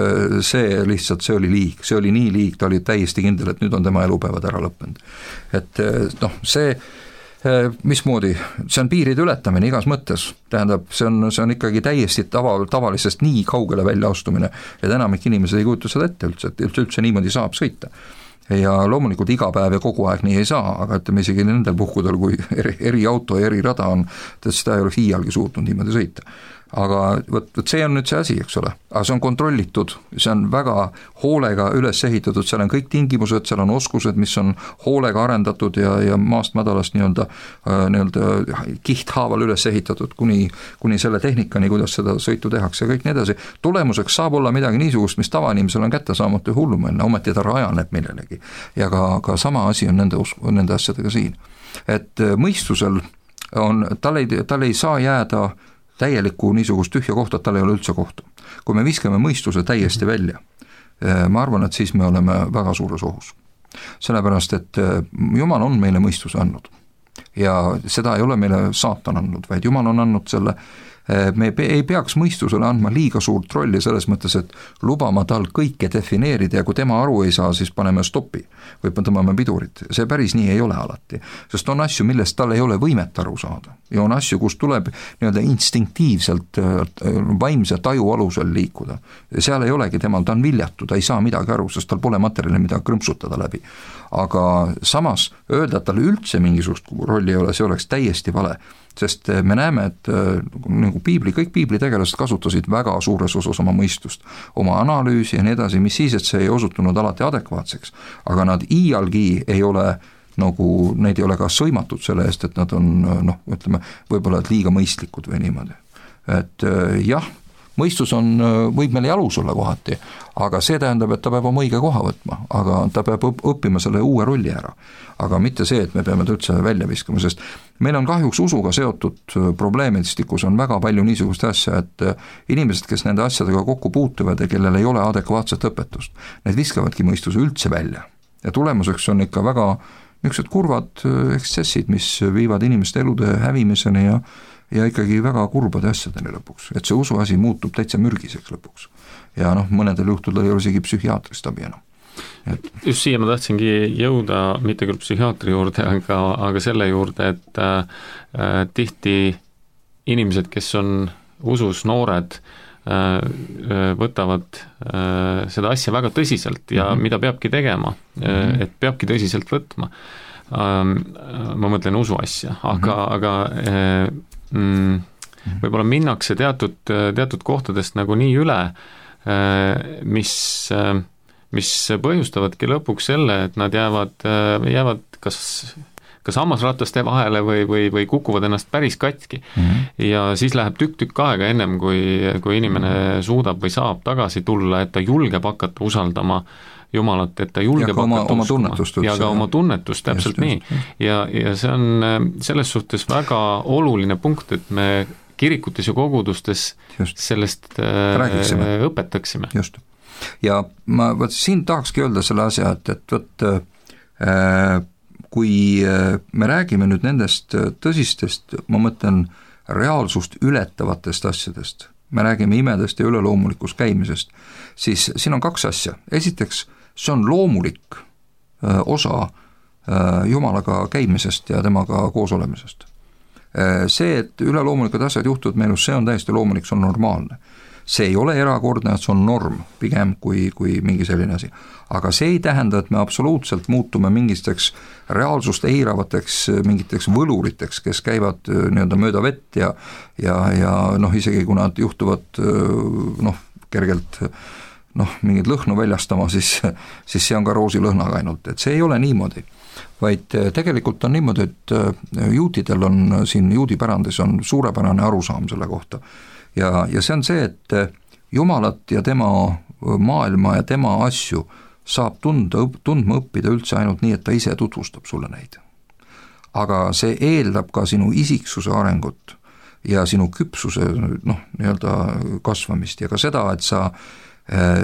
see oli liig, see oli nii liig, ta oli täiesti kindel, et nüüd on tema elupäevad ära lõppenud. Et see mismoodi, see on piiride ületamine igas mõttes, tähendab, see on ikkagi täiesti tavalisest nii kaugele välja astumine, et enamik inimesed ei kujuta seda ette üldse niimoodi saab sõita. Ja loomulikult iga päev ja kogu aeg nii ei saa, aga ütleme isegi nendel puhkudel, kui eri auto ja eri rada on, seda ei oleks iialgi suutnud niimoodi sõita. Aga võt see on nüüd see asi, eks ole, aga see on kontrollitud, see on väga hoolega üles ehitatud, seal on kõik tingimused, seal on oskused, mis on hoolega arendatud ja maast madalast nii-öelda kihthaaval üles ehitatud kuni selle tehnikani, kuidas seda sõitu tehakse ja kõik nii edasi. Tulemuseks saab olla midagi niisugust, mis tavainimesel on kättesaamatu ja hullumeelne, ometi ta rajaneb millelegi ja ka sama asi on nende asjadega siin. Et mõistusel tal ei saa jääda täielikku niisugust tühja kohta, et tal ei ole üldse kohta. Kui me viskame mõistuse täiesti välja, ma arvan, et siis me oleme väga suures ohus. Sellepärast, et Jumal on meile mõistuse andnud ja seda ei ole meile saatan andnud, vaid Jumal on andnud selle, me ei peaks mõistusele andma liiga suurt rolli selles mõttes, et lubama tal kõike defineerida ja kui tema aru ei saa, siis paneme stoppi või tõmbame pidurit. See päris nii ei ole alati, sest on asju, millest tal ei ole võimet aru saada ja on asju, kus tuleb nii-öelda instinktiivselt vaimse taju alusel liikuda. Seal ei olegi temal, ta on viljatu, ta ei saa midagi aru, sest tal pole materjali, mida krõmpsutada läbi. Aga samas öelda, et tal üldse mingisugust rolli ei ole, see oleks täiesti vale. Sest me näeme, et nagu kõik piiblitegelased kasutasid väga suures osas oma mõistust, oma analüüsi ja nii edasi, mis siis, et see ei osutunud alati adekvaatseks, aga nad iialgi ei ole nagu neid ei ole ka sõimatud selle eest, et nad on ütleme, võib-olla liiga mõistlikud või niimoodi. Et jah, mõistus võib meil jalus olla kohati, aga see tähendab, et ta peab oma õige koha võtma, aga ta peab õppima selle uue rolli ära. Aga mitte see, et me peame ta üldse välja viskama, sest meil on kahjuks usuga seotud probleemistikus on väga palju niisugust asja, et inimesed, kes nende asjadega kokku puutuvad ja kellel ei ole adekvaatset õpetust, need viskavadki mõistuse üldse välja. Ja tulemuseks on ikka väga niisugused kurvad ekstsessid, mis viivad inimeste elude hävimiseni ja ikkagi väga kurbade asjadeni lõpuks, et see usuasi muutub täitsa mürgiseks lõpuks. Ja mõnedel juhtudel ei ole isegi psühhiaatrist abi enam. Just siia ma tahtsingi jõuda, mitte küll psühhiaatri juurde, aga selle juurde, et tihti inimesed, kes on usus noored, võtavad seda asja väga tõsiselt ja mida peabki tegema, et peabki tõsiselt võtma. Ma mõtlen usu asja, aga võib-olla minnakse teatud kohtadest nagu nii üle, mis põhjustavadki lõpuks selle, et nad jäävad kas hammasrataste vahele või kukuvad ennast päris katki. Ja siis läheb tükk aega ennem, kui inimene suudab või saab tagasi tulla, et ta julgeb hakata usaldama Jumalat, et ta julgeb hakata uskuma. Ja ka oma tunnetust, täpselt just, nii. Ja see on selles suhtes väga oluline punkt, et me kirikutes ja kogudustes sellest õpetaksime. Just. Ja ma siin tahakski öelda selle asja, et kui me räägime nüüd nendest tõsistest, ma mõtlen reaalsust ületavatest asjadest, me räägime imedest ja üleloomulikust käimisest, siis siin on kaks asja. Esiteks, see on loomulik osa Jumalaga käimisest ja temaga koos olemisest. See, et üleloomulikud asjad juhtuvad meelus, see on täiesti loomulik, see on normaalne. See ei ole erakordne, et see on norm, pigem kui mingi selline asi. Aga see ei tähenda, et me absoluutselt muutume mingisteks reaalsust eiravateks mingiteks võluriteks, kes käivad mööda vett ja isegi kui nad juhtuvad kergelt mingit lõhnu väljastama, siis see on ka roosilõhnaga ainult, et see ei ole niimoodi. Vaid tegelikult on niimoodi, et juutidel on siin juudipärandis on suurepärane arusaam selle kohta. Ja see on see, et Jumalat ja tema maailma ja tema asju saab tundma õppida üldse ainult nii, et ta ise tutvustab sulle neid. Aga see eeldab ka sinu isiksuse arengut ja sinu küpsuse kasvamist ja ka seda, et sa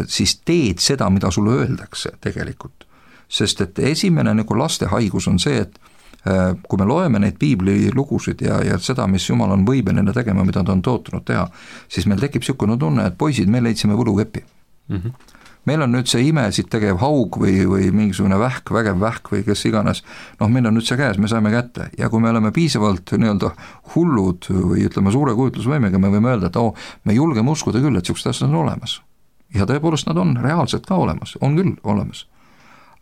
siis teed seda, mida sulle öeldakse tegelikult. Sest et esimene laste haigus on see, et kui me loeme neid piibli lugusid ja seda, mis Jumal on võimeline tegema, mida ta on tootunud teha, siis meil tekib niisugune tunne, et poisid, me leidsime võlukepi. Meil on nüüd see imesid tegev haug või mingisugune vägev vähk või kes iganes, meil on nüüd see käes, me saime kätte ja kui me oleme piisavalt hullud või ütleme suure kujutlusvõimega, me võime öelda, et me julgeme uskuda küll, et niisugused asjad on olemas. Ja tõepoolest nad on reaalselt ka olemas, on küll olemas.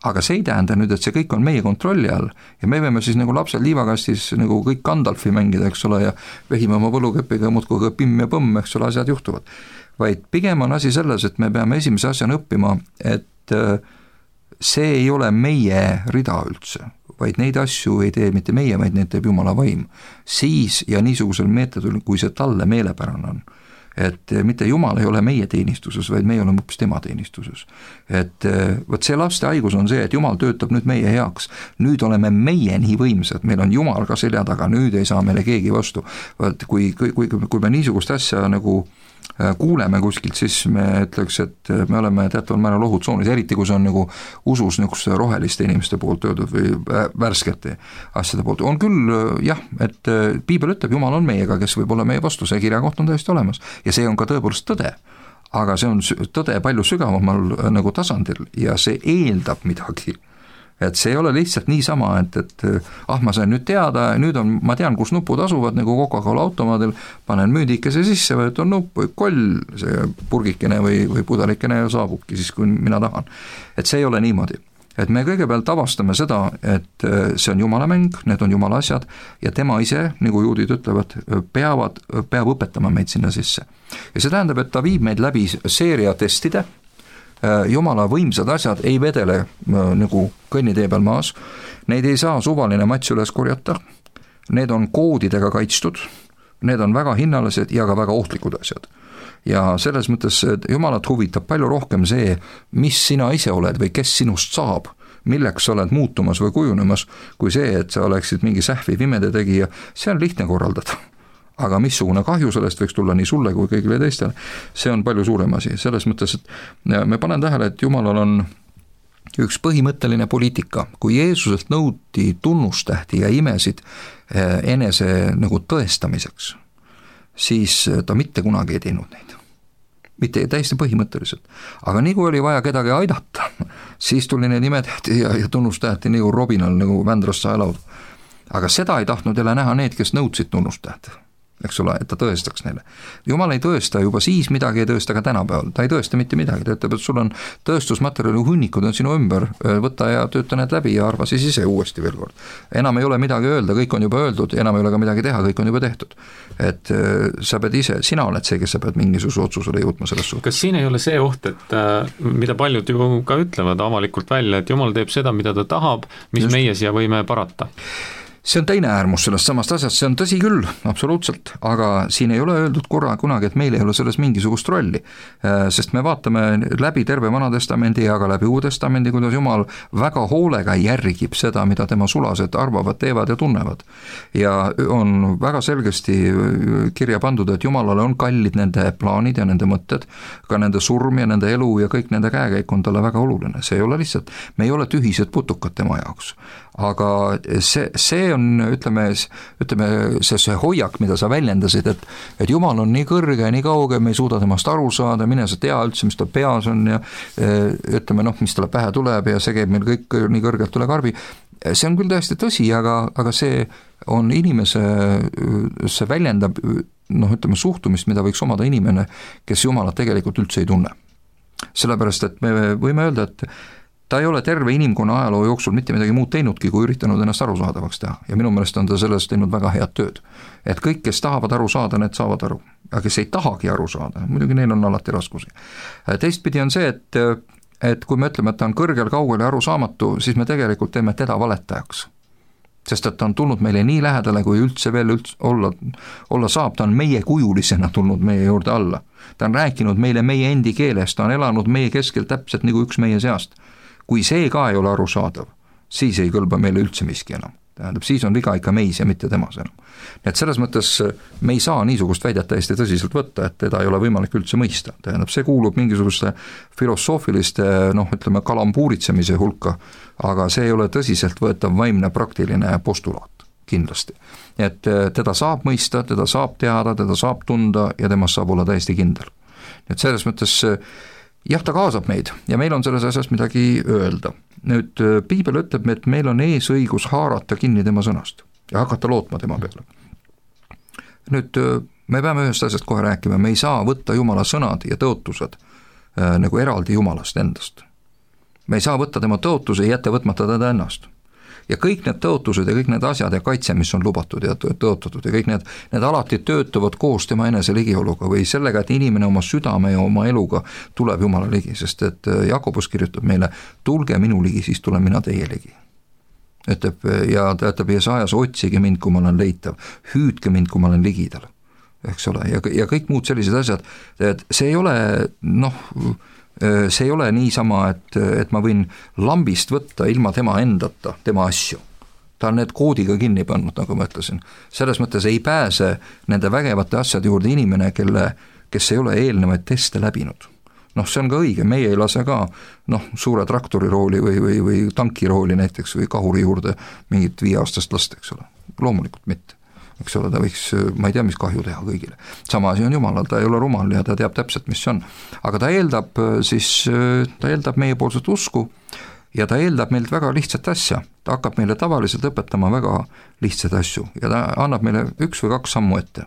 Aga see ei tähenda nüüd, et see kõik on meie kontrolli all ja me võime siis lapsed liivakastis kõik Gandalfi mängida, eks ole, ja vehime oma võlukepiga muudkui pimm ja põmm, eks ole, asjad juhtuvad. Vaid pigem on asi selles, et me peame esimese asjana õppima, et see ei ole meie rida üldse, vaid neid asju ei tee mitte meie, vaid neid teeb Jumala vaim. Siis ja niisugusel meetodil, kui see talle meelepärane on. Et mitte Jumal ei ole meie teenistuses, vaid meie oleme hoopis tema teenistuses. Et võt see laste haigus on see, et Jumal töötab nüüd meie heaks. Nüüd oleme meie nii võimsad, meil on Jumal ka selja taga, nüüd ei saa meile keegi vastu. Kui me niisugust asja kuuleme kuskilt, siis me ütleks, et me oleme teataval määral ohutsoonis, eriti kui see on usus roheliste inimeste poolt öeldud või värskete asjade poolt. On küll jah, et piibel ütleb, Jumal on meiega, kes võib olla meie vastu, see kirjakoht on täiesti olemas ja see on ka tõepoolest tõde. Aga see on tõde palju sügavamal tasandil ja see eeldab midagi. Et see ei ole lihtsalt niisama, et ma sain nüüd teada, nüüd ma tean, kus nupud asuvad Coca-Cola automaadil, panen müüdikese sisse, võetan nupp või koll, see purgikene või pudelikene saabubki siis, kui mina tahan. Et see ei ole niimoodi. Et me kõigepealt avastame seda, et see on Jumala mäng, need on Jumala asjad ja tema ise, nagu juudid ütlevad, peab õpetama meid sinna sisse. Ja see tähendab, et ta viib meid läbi seeria testide, Jumala võimsad asjad ei vedele nagu kõnnitee peal maas, neid ei saa suvaline mats üles korjata, need on koodidega kaitstud, need on väga hinnalised ja ka väga ohtlikud asjad. Ja selles mõttes Jumalat huvitab palju rohkem see, mis sina ise oled või kes sinust saab, milleks sa oled muutumas või kujunemas, kui see, et sa oleksid mingi sähviv imede tegija, see on lihtne korraldada. Aga missugune kahju sellest võiks tulla nii sulle kui kõigile teistele, see on palju suurem asi. Selles mõttes, et me panen tähele, et Jumalal on üks põhimõtteline poliitika. Kui Jeesuselt nõuti tunnustähti ja imesid enese nagu tõestamiseks, siis ta mitte kunagi ei teinud neid. Mitte täiesti põhimõtteliselt. Aga nii kui oli vaja kedagi aidata, siis tuli need imetähti ja tunnustähti nagu Robinal nagu Vändrast saelaudu. Aga seda ei tahtnud jälle näha need, kes nõudsid tunnustähti. Eks ole, et ta tõestaks neile. Jumal ei tõesta juba siis midagi, ei tõesta ka tänapäeval. Ta ei tõesta mitte midagi, ta ütleb, et sul on tõestusmaterjali hunnikud on sinu ümber, võta ja tööta need läbi ja arva siis ise uuesti veel kord. Enam ei ole midagi öelda, kõik on juba öeldud, enam ei ole ka midagi teha, kõik on juba tehtud. Et sa pead ise, sina oled see, kes sa pead mingisuguse otsusele jõudma selles suhtes. Kas siin ei ole see oht, et mida paljud ju ka ütlevad avalikult välja, et Jumal teeb seda, mida ta tahab, mis meie siia võime parata? See on teine äärmus sellest samast asjast, see on tõsi küll, absoluutselt, aga siin ei ole öeldud kunagi, et meil ei ole selles mingisugust rolli, sest me vaatame läbi terve Vana Testamendi ja ka läbi Uue Testamendi, kuidas Jumal väga hoolega järgib seda, mida tema sulased arvavad, teevad ja tunnevad. Ja on väga selgesti kirja pandud, et Jumalale on kallid nende plaanid ja nende mõtted, ka nende surm ja nende elu ja kõik nende käekäik on talle väga oluline, see ei ole lihtsalt, me ei ole tühised putukad tema jaoks. Aga see on, ütleme see hoiak, mida sa väljendasid, et Jumal on nii kõrge, nii kauge, me ei suuda temast aru saada, mine sa tea üldse, mis tal peas on ja ütleme, mis talle pähe tuleb ja see käib meil kõik nii kõrgelt üle karbi. See on küll täiesti tõsi, aga see on inimese, see väljendab ütleme suhtumist, mida võiks omada inimene, kes Jumalat tegelikult üldse ei tunne. Sellepärast, et me võime öelda, et ta ei ole terve inimkonna ajaloo jooksul mitte midagi muud teinudki, kui üritanud ennast arusaadavaks teha. Ja minu meelest on ta sellest teinud väga head tööd. Et kõik, kes tahavad aru saada, need saavad aru. Aga kes ei tahagi aru saada, muidugi neil on alati raskusi. Teistpidi on see, et kui me ütleme, et ta on kõrgel, kaugel ja arusaamatu, siis me tegelikult teeme teda valetajaks. Sest et ta on tulnud meile nii lähedale, kui üldse veel olla saab, ta on meie kujulisena tulnud meie juurde alla. Ta on rääkinud meile meie endi keeles, ta on elanud meie keskel täpselt nagu üks meie seast. Kui see ka ei ole arusaadav, siis ei kõlba meile üldse miski enam. Tähendab, siis on viga ikka meis ja mitte temas enam. Nii et selles mõttes me ei saa niisugust väidet täiesti tõsiselt võtta, et teda ei ole võimalik üldse mõista. Tähendab, see kuulub mingisuguste filosoofiliste, kalambuuritsemise hulka, aga see ei ole tõsiselt võetav vaimne praktiline postulaat, kindlasti. Et teda saab mõista, teda saab teada, teda saab tunda ja temast saab olla täiesti kindel. Nii et selles mõttes jah, ta kaasab meid ja meil on selles asjas midagi öelda. Nüüd Piibel ütleb, et meil on eesõigus haarata kinni tema sõnast ja hakata lootma tema peale. Nüüd me peame ühest asjast kohe rääkima, me ei saa võtta Jumala sõnad ja tõotused nagu eraldi Jumalast endast. Me ei saa võtta tema tõotuse ja jätta võtmata teda ennast. Ja kõik need tõotused ja kõik need asjad ja kaitse, mis on lubatud ja tõotatud ja kõik need alati töötavad koos tema enese ligioluga või sellega, et inimene oma südame ja oma eluga tuleb Jumala ligi, sest et Jakobus kirjutab meile, tulge minu ligi, siis tulen mina teie ligi. Ja ta ütleb Jesajas, otsige mind, kui ma olen leitav, hüüdke mind, kui ma olen ligidal, eks ole, ja kõik muud sellised asjad, et see ei ole, see ei ole niisama, et ma võin lambist võtta ilma tema endata, tema asju. Ta on need koodiga kinni pannud, nagu ma ütlesin. Selles mõttes ei pääse nende vägevate asjade juurde inimene, kes ei ole eelnevaid teste läbinud. See on ka õige, meie ei lase ka suure traktori rooli või tanki rooli näiteks või kahuri juurde mingit 5-aastast last, eks ole. Loomulikult mitte. Eks ole, ta võiks, ma ei tea, mis kahju teha kõigile. Sama asi on Jumalal, ta ei ole rumal ja ta teab täpselt, mis see on. Aga ta eeldab meiepoolset usku ja ta eeldab meilt väga lihtsat asja. Ta hakkab meile tavaliselt õpetama väga lihtsaid asju ja ta annab meile 1 või 2 sammu ette.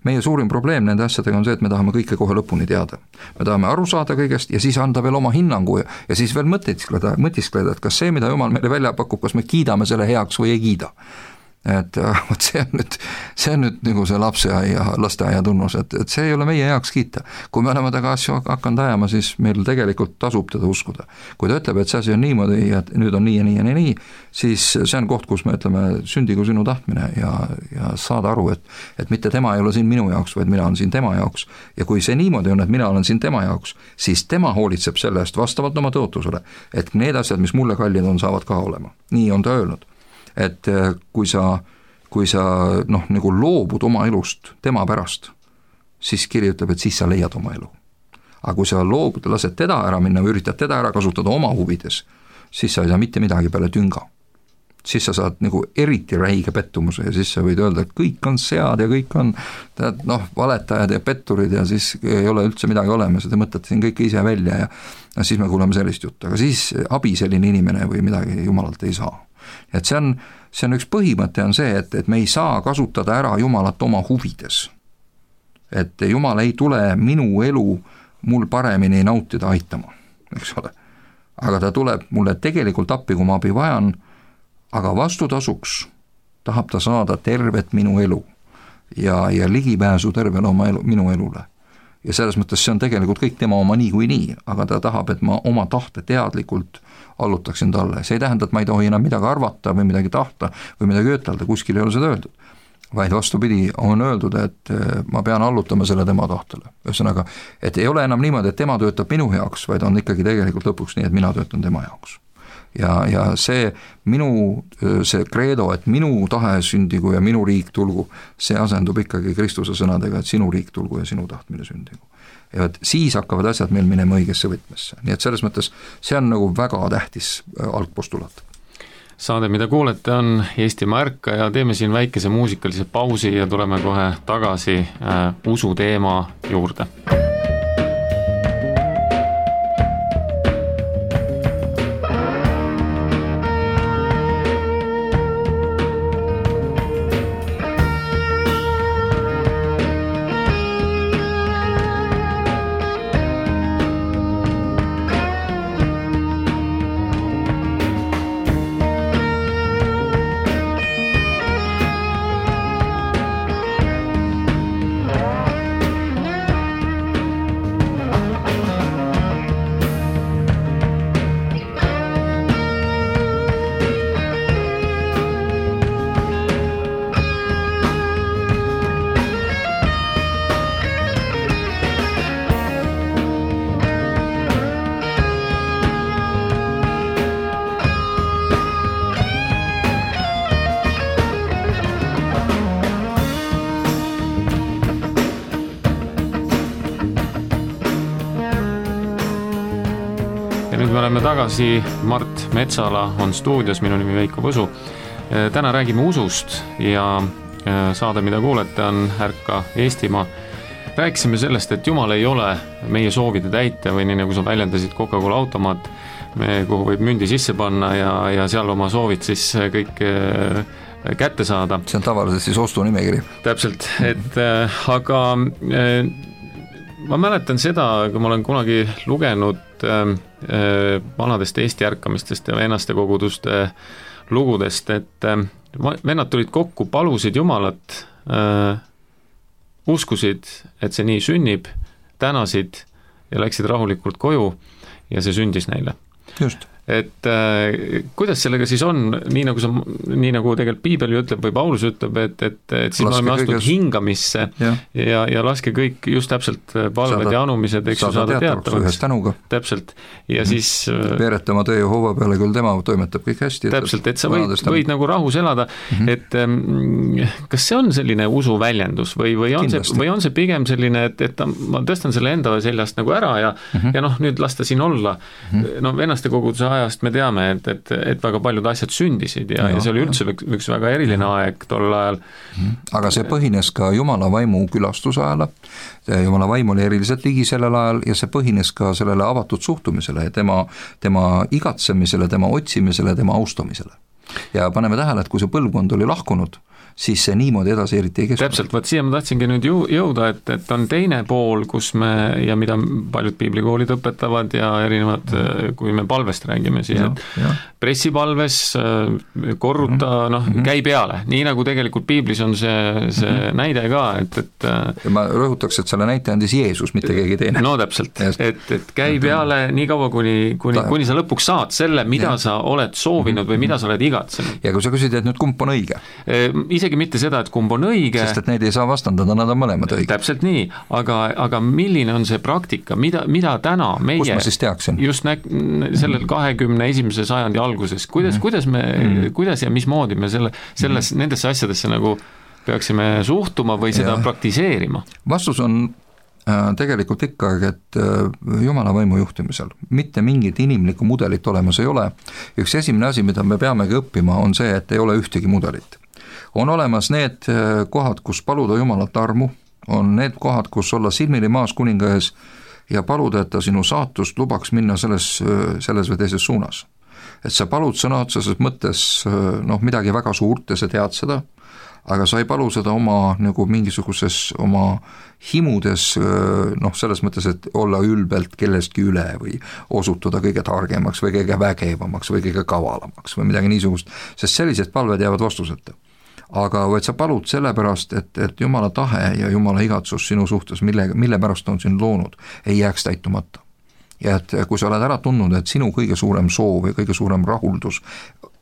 Meie suurim probleem nende asjadega on see, et me tahame kõike kohe lõpuni teada. Me tahame aru saada kõigest ja siis anda veel oma hinnangu ja siis veel mõtiskleda, et kas see, mida Jumal meile välja pakub, kas me kiidame selle heaks või ei kiida. et vot see on nüüd nagu see lasteaia tunnus, et see ei ole meie heaks kiita. Kui me oleme taga asju hakanud ajama, siis meil tegelikult tasub teda uskuda. Kui ta ütleb, et see asi on niimoodi ja nüüd on nii ja nii ja nii, siis see on koht, kus me ütleme sündigu sinu tahtmine ja saada aru, et mitte tema ei ole siin minu jaoks, vaid mina olen siin tema jaoks. Ja kui see niimoodi on, et mina olen siin tema jaoks, siis tema hoolitseb selle eest vastavalt oma tõotusele, et need asjad, mis mulle kallid on, saavad ka olema. Nii on ta öelnud. Et kui sa nagu loobud oma elust tema pärast, siis kiri ütleb, et siis sa leiad oma elu. Aga kui sa loobud, lased teda ära minna või üritad teda ära kasutada oma huvides, siis sa ei saa mitte midagi peale tünga. Siis sa saad nagu eriti räige pettumuse ja siis sa võid öelda, et kõik on sead ja kõik on valetajad ja petturid ja siis ei ole üldse midagi olemas ja te mõtlete siin kõike ise välja ja siis me kuuleme sellist juttu, aga siis abi selline inimene või midagi jumalalt ei saa. Et see on üks põhimõte on see, et me ei saa kasutada ära Jumalat oma huvides. Et Jumal ei tule minu elu mul paremini nautida aitama, eks ole. Aga ta tuleb mulle tegelikult appi, kui ma abi vajan, aga vastutasuks tahab ta saada tervet minu elu ja ligipääsu tervele minu elule. Ja selles mõttes see on tegelikult kõik tema oma nii, aga ta tahab, et ma oma tahte teadlikult allutaksin talle. See ei tähenda, et ma ei tohi enam midagi arvata või midagi tahta või midagi ütelda, kuskil ei ole seda öeldud. Vaid vastupidi, on öeldud, et ma pean allutama selle tema tahtele. Ühesõnaga, et ei ole enam niimoodi, et tema töötab minu jaoks, vaid on ikkagi tegelikult lõpuks nii, et mina töötan tema jaoks. Ja see see kreedo, et minu tahe sündigu ja minu riik tulgu, see asendub ikkagi Kristuse sõnadega, et sinu riik tulgu ja sinu tahtmine sündigu. Ja siis hakkavad asjad meil minema õigesse võtmesse. Nii et selles mõttes see on nagu väga tähtis algpostulaat. Saade, mida kuulete, on Eestimaa ärka ja teeme siin väikese muusikalise pausi ja tuleme kohe tagasi usu teema juurde. Nüüd me oleme tagasi, Mart Metsala on stuudios, minu nimi Veiko Võsu. Täna räägime usust ja saade, mida kuulete, on Ärka Eestimaa. Rääkisime sellest, et Jumal ei ole meie soovide täitja või nii nagu sa väljendasid Coca-Cola automaat, kuhu võib mündi sisse panna ja seal oma soovid siis kõik kätte saada. See on tavaliselt siis ostunimekiri. Täpselt, aga ma mäletan seda, kui ma olen kunagi lugenud vanadest Eesti ärkamistest ja vennaste koguduste lugudest, et vennad tulid kokku, palusid Jumalat, uskusid, et see nii sünnib, tänasid ja läksid rahulikult koju ja see sündis neile. Just. Et kuidas sellega siis on, nii nagu tegelikult Piibel ütleb või Paulus ütleb, et siis me oleme astunud hingamisse ja laske kõik just täpselt palved ja anumised, eks ju saada teatavaks. Täpselt. Ja siis veereta oma töö Jehova peale, küll tema toimetab kõik hästi. Täpselt, et sa võid nagu rahus elada, et kas see on selline usu väljendus või on see pigem selline, et ma tõstan selle enda seljast nagu ära ja nüüd lasta siin olla. Vennaste koguduse ajast me teame, et väga paljud asjad sündisid ja see oli üldse üks väga eriline aeg tol ajal. Aga see põhines ka Jumala vaimu külastuse ajal. Jumala vaim oli eriliselt ligi sellel ajal ja see põhines ka sellele avatud suhtumisele ja tema igatsemisele, tema otsimisele, tema austamisele. Ja paneme tähele, et kui see põlvkond oli lahkunud, siis see niimoodi edasi eriti ei keskunud. Täpselt, siia ma tahtsingi nüüd jõuda, et on teine pool, kus me, ja mida paljud piiblikoolid õpetavad ja erinevad, kui me palvest räägime, siis et pressipalves, korruta, käi peale, nii nagu tegelikult piiblis on see näide ka, et ma rõhutaks, et selle näite andis Jeesus, mitte keegi teine. No täpselt, et käi peale nii kaua, kuni sa lõpuks saad selle, mida sa oled soovinud või mida sa oled igatsenud. Ja kui sa küsid, et nüüd kumb on õige? Isegi mitte seda, et kumb on õige. Sest et neid ei saa vastandada, nad on mõlemad õige. Täpselt nii, aga milline on see praktika, mida täna meie... Kus ma siis teaksin? Just sellel 21. sajandi alguses, kuidas ja mismoodi me nendesse asjadesse nagu peaksime suhtuma või seda praktiseerima? Vastus on tegelikult ikkagi, et Jumala võimu juhtimisel mitte mingit inimlikku mudelit olemas ei ole. Üks esimene asi, mida me peamegi õppima, on see, et ei ole ühtegi mudelit. On olemas need kohad, kus paluda Jumalat armu, on need kohad, kus olla silmili maas kuninga ees ja paluda, et ta sinu saatust lubaks minna selles või teises suunas. Et sa palud sõna otseses mõttes midagi väga suurt ja sa tead seda, aga sa ei palu seda oma nagu mingisuguses oma himudes, selles mõttes, et olla ülbelt kellestki üle või osutuda kõige targemaks või kõige vägevamaks või kõige kavalamaks või midagi niisugust, sest sellised palved jäävad vastuseta. Aga võid sa palud sellepärast, et Jumala tahe ja Jumala igatsus sinu suhtes, mille pärast on sind loonud, ei jääks täitumata. Ja et kui sa oled ära tundnud, et sinu kõige suurem soov ja kõige suurem rahuldus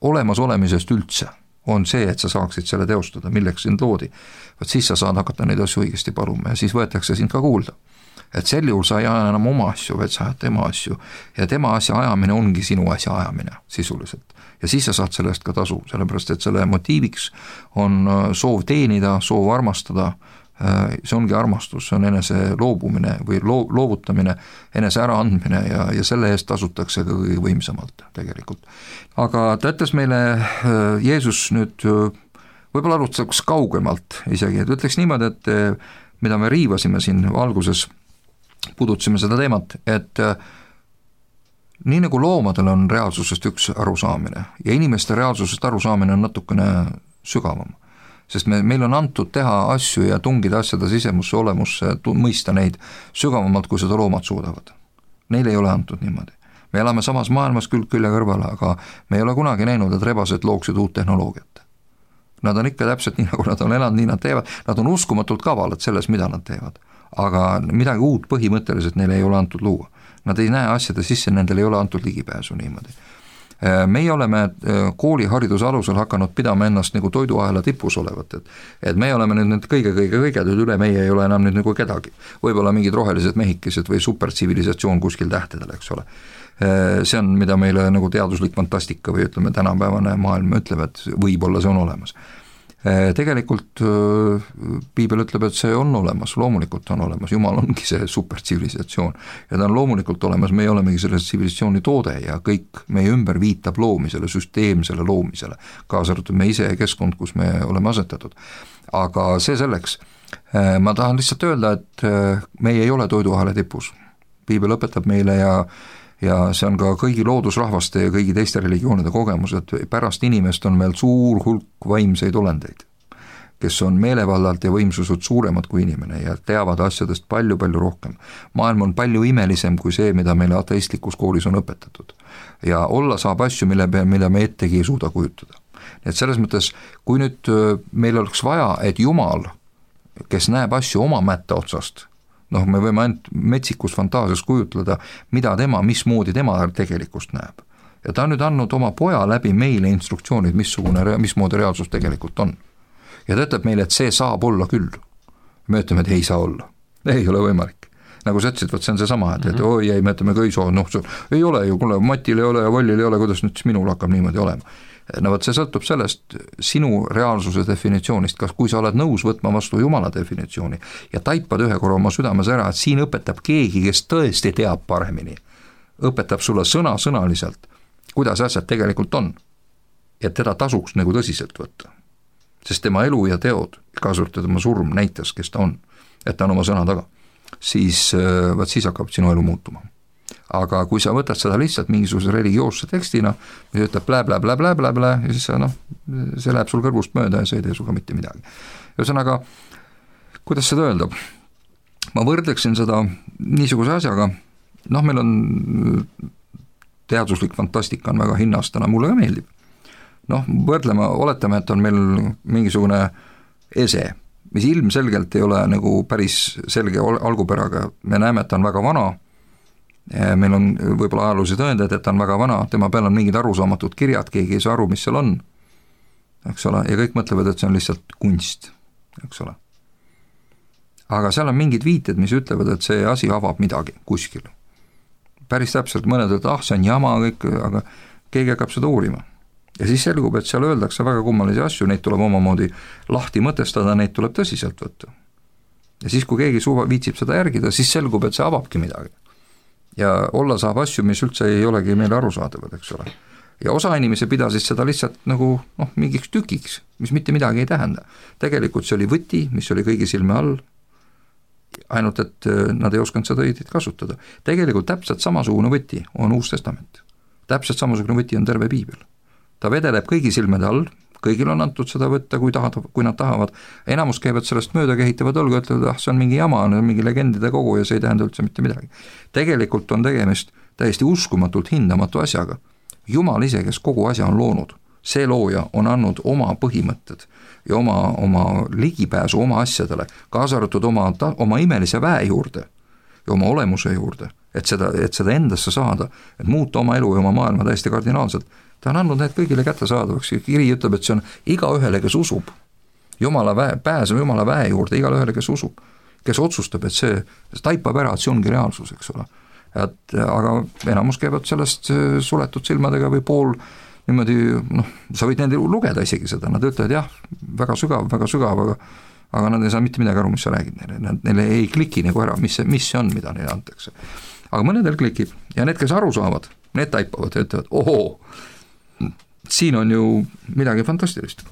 olemasolemisest üldse on see, et sa saaksid selle teostada, milleks sind loodi, võt siis sa saad hakata neid asju õigesti paluma ja siis võetakse sind ka kuulda. Et sel juhul sa ei aja enam oma asju, vaid sa ajad tema asju ja tema asja ajamine ongi sinu asja ajamine sisuliselt. Ja siis sa saad sellest ka tasu, sellepärast et selle motiiviks on soov teenida, soov armastada, see ongi armastus, see on enese loobumine või loovutamine, enese äraandmine ja selle eest tasutakse ka kõige võimsamalt tegelikult. Aga ta ütles meile, Jeesus nüüd võib-olla alustaks kaugemalt isegi, et ütleks niimoodi, et mida me riivasime siin alguses, puudutasime seda teemat, et nii nagu loomadel on reaalsusest üks arusaamine ja inimeste reaalsusest arusaamine on natukene sügavam. Sest meil on antud teha asju ja tungida asjade sisemusse olemusse, mõista neid sügavamalt, kui seda loomad suudavad. Neile ei ole antud niimoodi. Me elame samas maailmas külje kõrvale, aga me ei ole kunagi näinud, et rebased looksid uut tehnoloogiat. Nad on ikka täpselt nii, nagu nad on elanud, nii nad teevad. Nad on uskumatult kavalad selles, mida nad teevad. Aga midagi uut põhimõtteliselt neile ei ole antud luua. Nad ei näe asjade sisse, nendel ei ole antud ligipääsu niimoodi. Meie oleme koolihariduse alusel hakanud pidama ennast nagu toiduahela tipus olevat, et me oleme nüüd kõige, üle meie ei ole enam nüüd nagu kedagi. Võib-olla mingid rohelised mehikesed või supertsivilisatsioon kuskil tähtedel, eks ole. See on, mida meile nagu teaduslik fantastika või ütleme tänapäevane maailm ütleb, et võib-olla see on olemas. Tegelikult piibel ütleb, et see on olemas, loomulikult on olemas, Jumal ongi see supertsivilisatsioon ja ta on loomulikult olemas, me ei olemegi selle tsivilisatsiooni toode ja kõik meie ümber viitab loomisele, süsteemsele loomisele, kaasa arvatud me ise ja keskkond, kus me oleme asetatud. Aga see selleks, ma tahan lihtsalt öelda, et meie ei ole toiduahela tipus, piibel õpetab meile ja see on ka kõigi loodusrahvaste ja kõigi teiste religioonide kogemus, et pärast inimest on meil suur hulk vaimseid olendeid, kes on meelevallalt ja võimsused suuremad kui inimene ja teavad asjadest palju-palju rohkem. Maailm on palju imelisem kui see, mida meile ateistlikus koolis on õpetatud. Ja olla saab asju, mida me ettegi ei suuda kujutada. Nii et selles mõttes, kui nüüd meil oleks vaja, et Jumal, kes näeb asju oma mätta otsast, me võime ainult metsikus fantaasias kujutleda, mida mismoodi tema tegelikult näeb. Ja ta on nüüd andnud oma poja läbi meile instruktsioonid, mismoodi reaalsus tegelikult on. Ja ta ütleb meile, et see saab olla küll. Me ütleme, et ei saa olla. Ei ole võimalik. Nagu sa ütlesid, see on see sama, et oi ei, me ütleme kõisoo, ei ole ju, kuule, Matil ei ole ja Vollil ei ole, kuidas nüüd minul hakkab niimoodi olema. See sõltub sellest sinu reaalsuse definitsioonist, kas kui sa oled nõus võtma vastu Jumala definitsiooni ja taipad ühe korra oma südames ära, et siin õpetab keegi, kes tõesti teab paremini, õpetab sulle sõnaliselt, kuidas asjad tegelikult on, ja teda tasuks nagu tõsiselt võtta. Sest tema elu ja teod, kaasa arvatud tema surm näitas, kes ta on, et ta on oma sõna taga, siis hakkab sinu elu muutuma. Aga kui sa võtad seda lihtsalt mingisuguse religioosse tekstina, mis ütleb blä, ja siis see läheb sul kõrvust mööda ja see ei tee suga mitte midagi. Ühesõnaga, kuidas seda öelda? Ma võrdleksin seda niisuguse asjaga, meil on teaduslik fantastika on väga hinnastana, mulle ka meeldib. Võrdleme, oletame, et on meil mingisugune ese, mis ilmselgelt ei ole nagu päris selge algupäraga, me näeme, et ta on väga vana, meil on võib-olla ajaloolisi tõendeid, et ta on väga vana, tema peal on mingid arusaamatud kirjad, keegi ei saa aru, mis seal on, eks ole, ja kõik mõtlevad, et see on lihtsalt kunst, eks ole. Aga seal on mingid viited, mis ütlevad, et see asi avab midagi kuskil. Päris täpselt mõned, et see on jama kõik, aga keegi hakkab seda uurima. Ja siis selgub, et seal öeldakse väga kummalisi asju, neid tuleb omamoodi lahti mõtestada, neid tuleb tõsiselt võtta. Ja siis, kui keegi viitsib seda järgida, siis selgub, et see avabki midagi. Ja olla saab asju, mis üldse ei olegi meile arusaadavad, eks ole. Ja osa inimesi pidasid seda lihtsalt nagu mingiks tükiks, mis mitte midagi ei tähenda. Tegelikult see oli võti, mis oli kõigi silme all, ainult et nad ei osanud seda õiget kasutada. Tegelikult täpselt samasugune võti on Uus Testament. Täpselt samasugune võti on terve piibel. Ta vedeleb kõigi silmede all, kõigil on antud seda võtta, kui nad tahavad. Enamus käivad sellest mööda, kehitavad olgu, ütlevad, see on mingi jama, on mingi legendide kogu ja see ei tähenda üldse mitte midagi. Tegelikult on tegemist täiesti uskumatult hindamatu asjaga. Jumal ise, kes kogu asja on loonud, see looja on andnud oma põhimõtted ja oma ligipääsu oma asjadele, kaasa arvatud oma imelise väe juurde ja oma olemuse juurde, et seda endasse saada, et muuta oma elu ja oma maailma täiesti kardinaalselt. Ta on andnud need kõigile kättesaadavaks, kiri ütleb, et see on iga ühele, kes usub, pääseb Jumala väe juurde, igale ühele, kes usub, kes otsustab, et see taipab ära, et see ongi reaalsus, eks ole. Aga enamus käivad sellest suletud silmadega või pool niimoodi, sa võid nende lugeda isegi seda, nad ütlevad jah, väga sügav, aga nad ei saa mitte midagi aru, mis sa räägid neile, neile ei kliki nagu ära, mis see on, mida neile antakse. Aga mõnedel klikib ja need, kes aru saavad, need taipavad ja ütlevad, ohoo, siin on ju midagi fantastilist.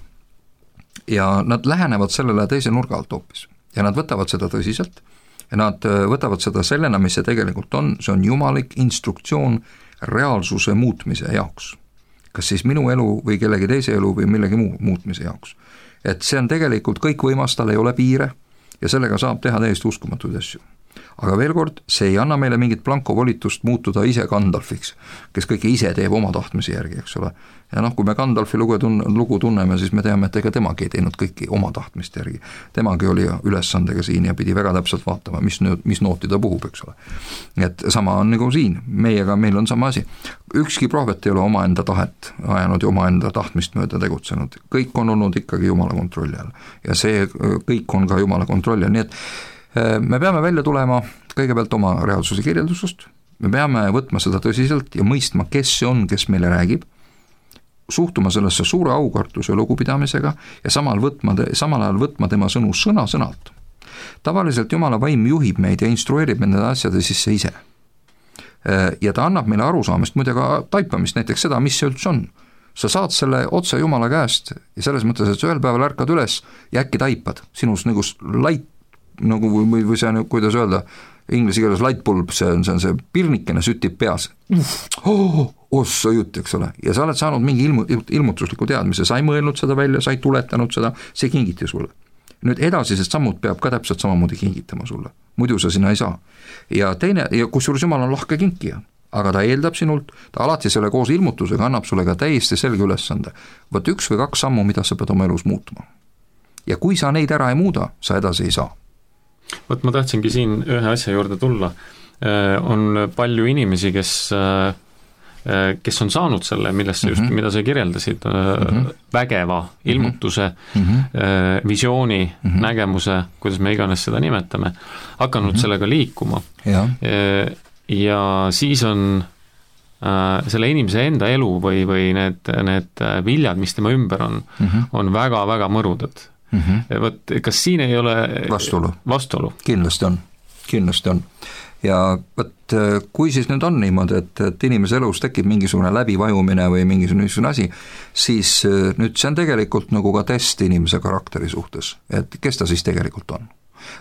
Ja nad lähenevad sellele teise nurga alt hoopis ja nad võtavad seda tõsiselt ja nad võtavad seda sellena, mis see tegelikult on, see on jumalik instruktsioon reaalsuse muutmise jaoks. Kas siis minu elu või kellegi teise elu või millegi muu muutmise jaoks. Et see on tegelikult kõik võimas, tal ei ole piire ja sellega saab teha täiesti uskumatuid asju. Aga veel kord, see ei anna meile mingit blankovolitust muutuda ise Gandalfiks, kes kõike ise teeb oma tahtmise järgi, eks ole. Ja kui me Gandalfi lugu tunneme, siis me teame, et ega temagi ei teinud kõiki oma tahtmiste järgi. Temagi oli ülesandega siin ja pidi väga täpselt vaatama, mis nooti ta puhub, eks ole. Et sama on nagu siin, meil on sama asi. Ükski prohvet ei ole omaenda tahet ajanud ja omaenda tahtmist mööda tegutsenud. Kõik on olnud ikkagi Jumala kontrolli all ja see kõik on ka Jumala kontrolli all, nii et me peame välja tulema kõigepealt oma reaalsuse kirjeldusest, me peame võtma seda tõsiselt ja mõistma, kes see on, kes meile räägib, suhtuma sellesse suure aukartuse ja lugupidamisega ja samal ajal võtma tema sõnu sõna-sõnalt. Tavaliselt Jumala vaim juhib meid ja instrueerib nende asjade sisse ise. Ja ta annab meile arusaamist, muide ka taipamist, näiteks seda, mis see üldse on. Sa saad selle otse Jumala käest ja selles mõttes, et sa ühel päeval ärkad üles ja äkki taipad sinus nagu light, nagu või see on, kuidas öelda, inglise keeles light bulb, see on see pirnikene sütib peas. Ossa jutt, eks ole. Ja sa oled saanud mingi ilmutusliku teadmise, sa ei mõelnud seda välja, sa ei tuletanud seda, see kingiti sulle. Nüüd edasised sammud peab ka täpselt samamoodi kingitama sulle, muidu sa sinna ei saa. Ja kusjuures Jumal on lahke kinkija, aga ta eeldab sinult, ta alati selle koos ilmutusega annab sulle ka täiesti selge ülesande. Võt 1 või 2 sammu, mida sa pead oma elus muutma. Ja kui sa neid ära ei muuda, sa edasi ei saa. Võt ma tahtsingi siin ühe asja juurde tulla. On palju inimesi, kes on saanud selle, mida sa kirjeldasid, vägeva ilmutuse, visiooni, nägemuse, kuidas me iganes seda nimetame, hakanud sellega liikuma. Ja siis on selle inimese enda elu või need viljad, mis tema ümber on väga-väga mõrudad. Võt, kas siin ei ole vastuolu? Kindlasti on. Ja võt, kui siis nüüd on niimoodi, et inimese elus tekib mingisugune läbivajumine või mingisugune asi, siis nüüd see on tegelikult nagu ka test inimese karakteri suhtes, et kes ta siis tegelikult on.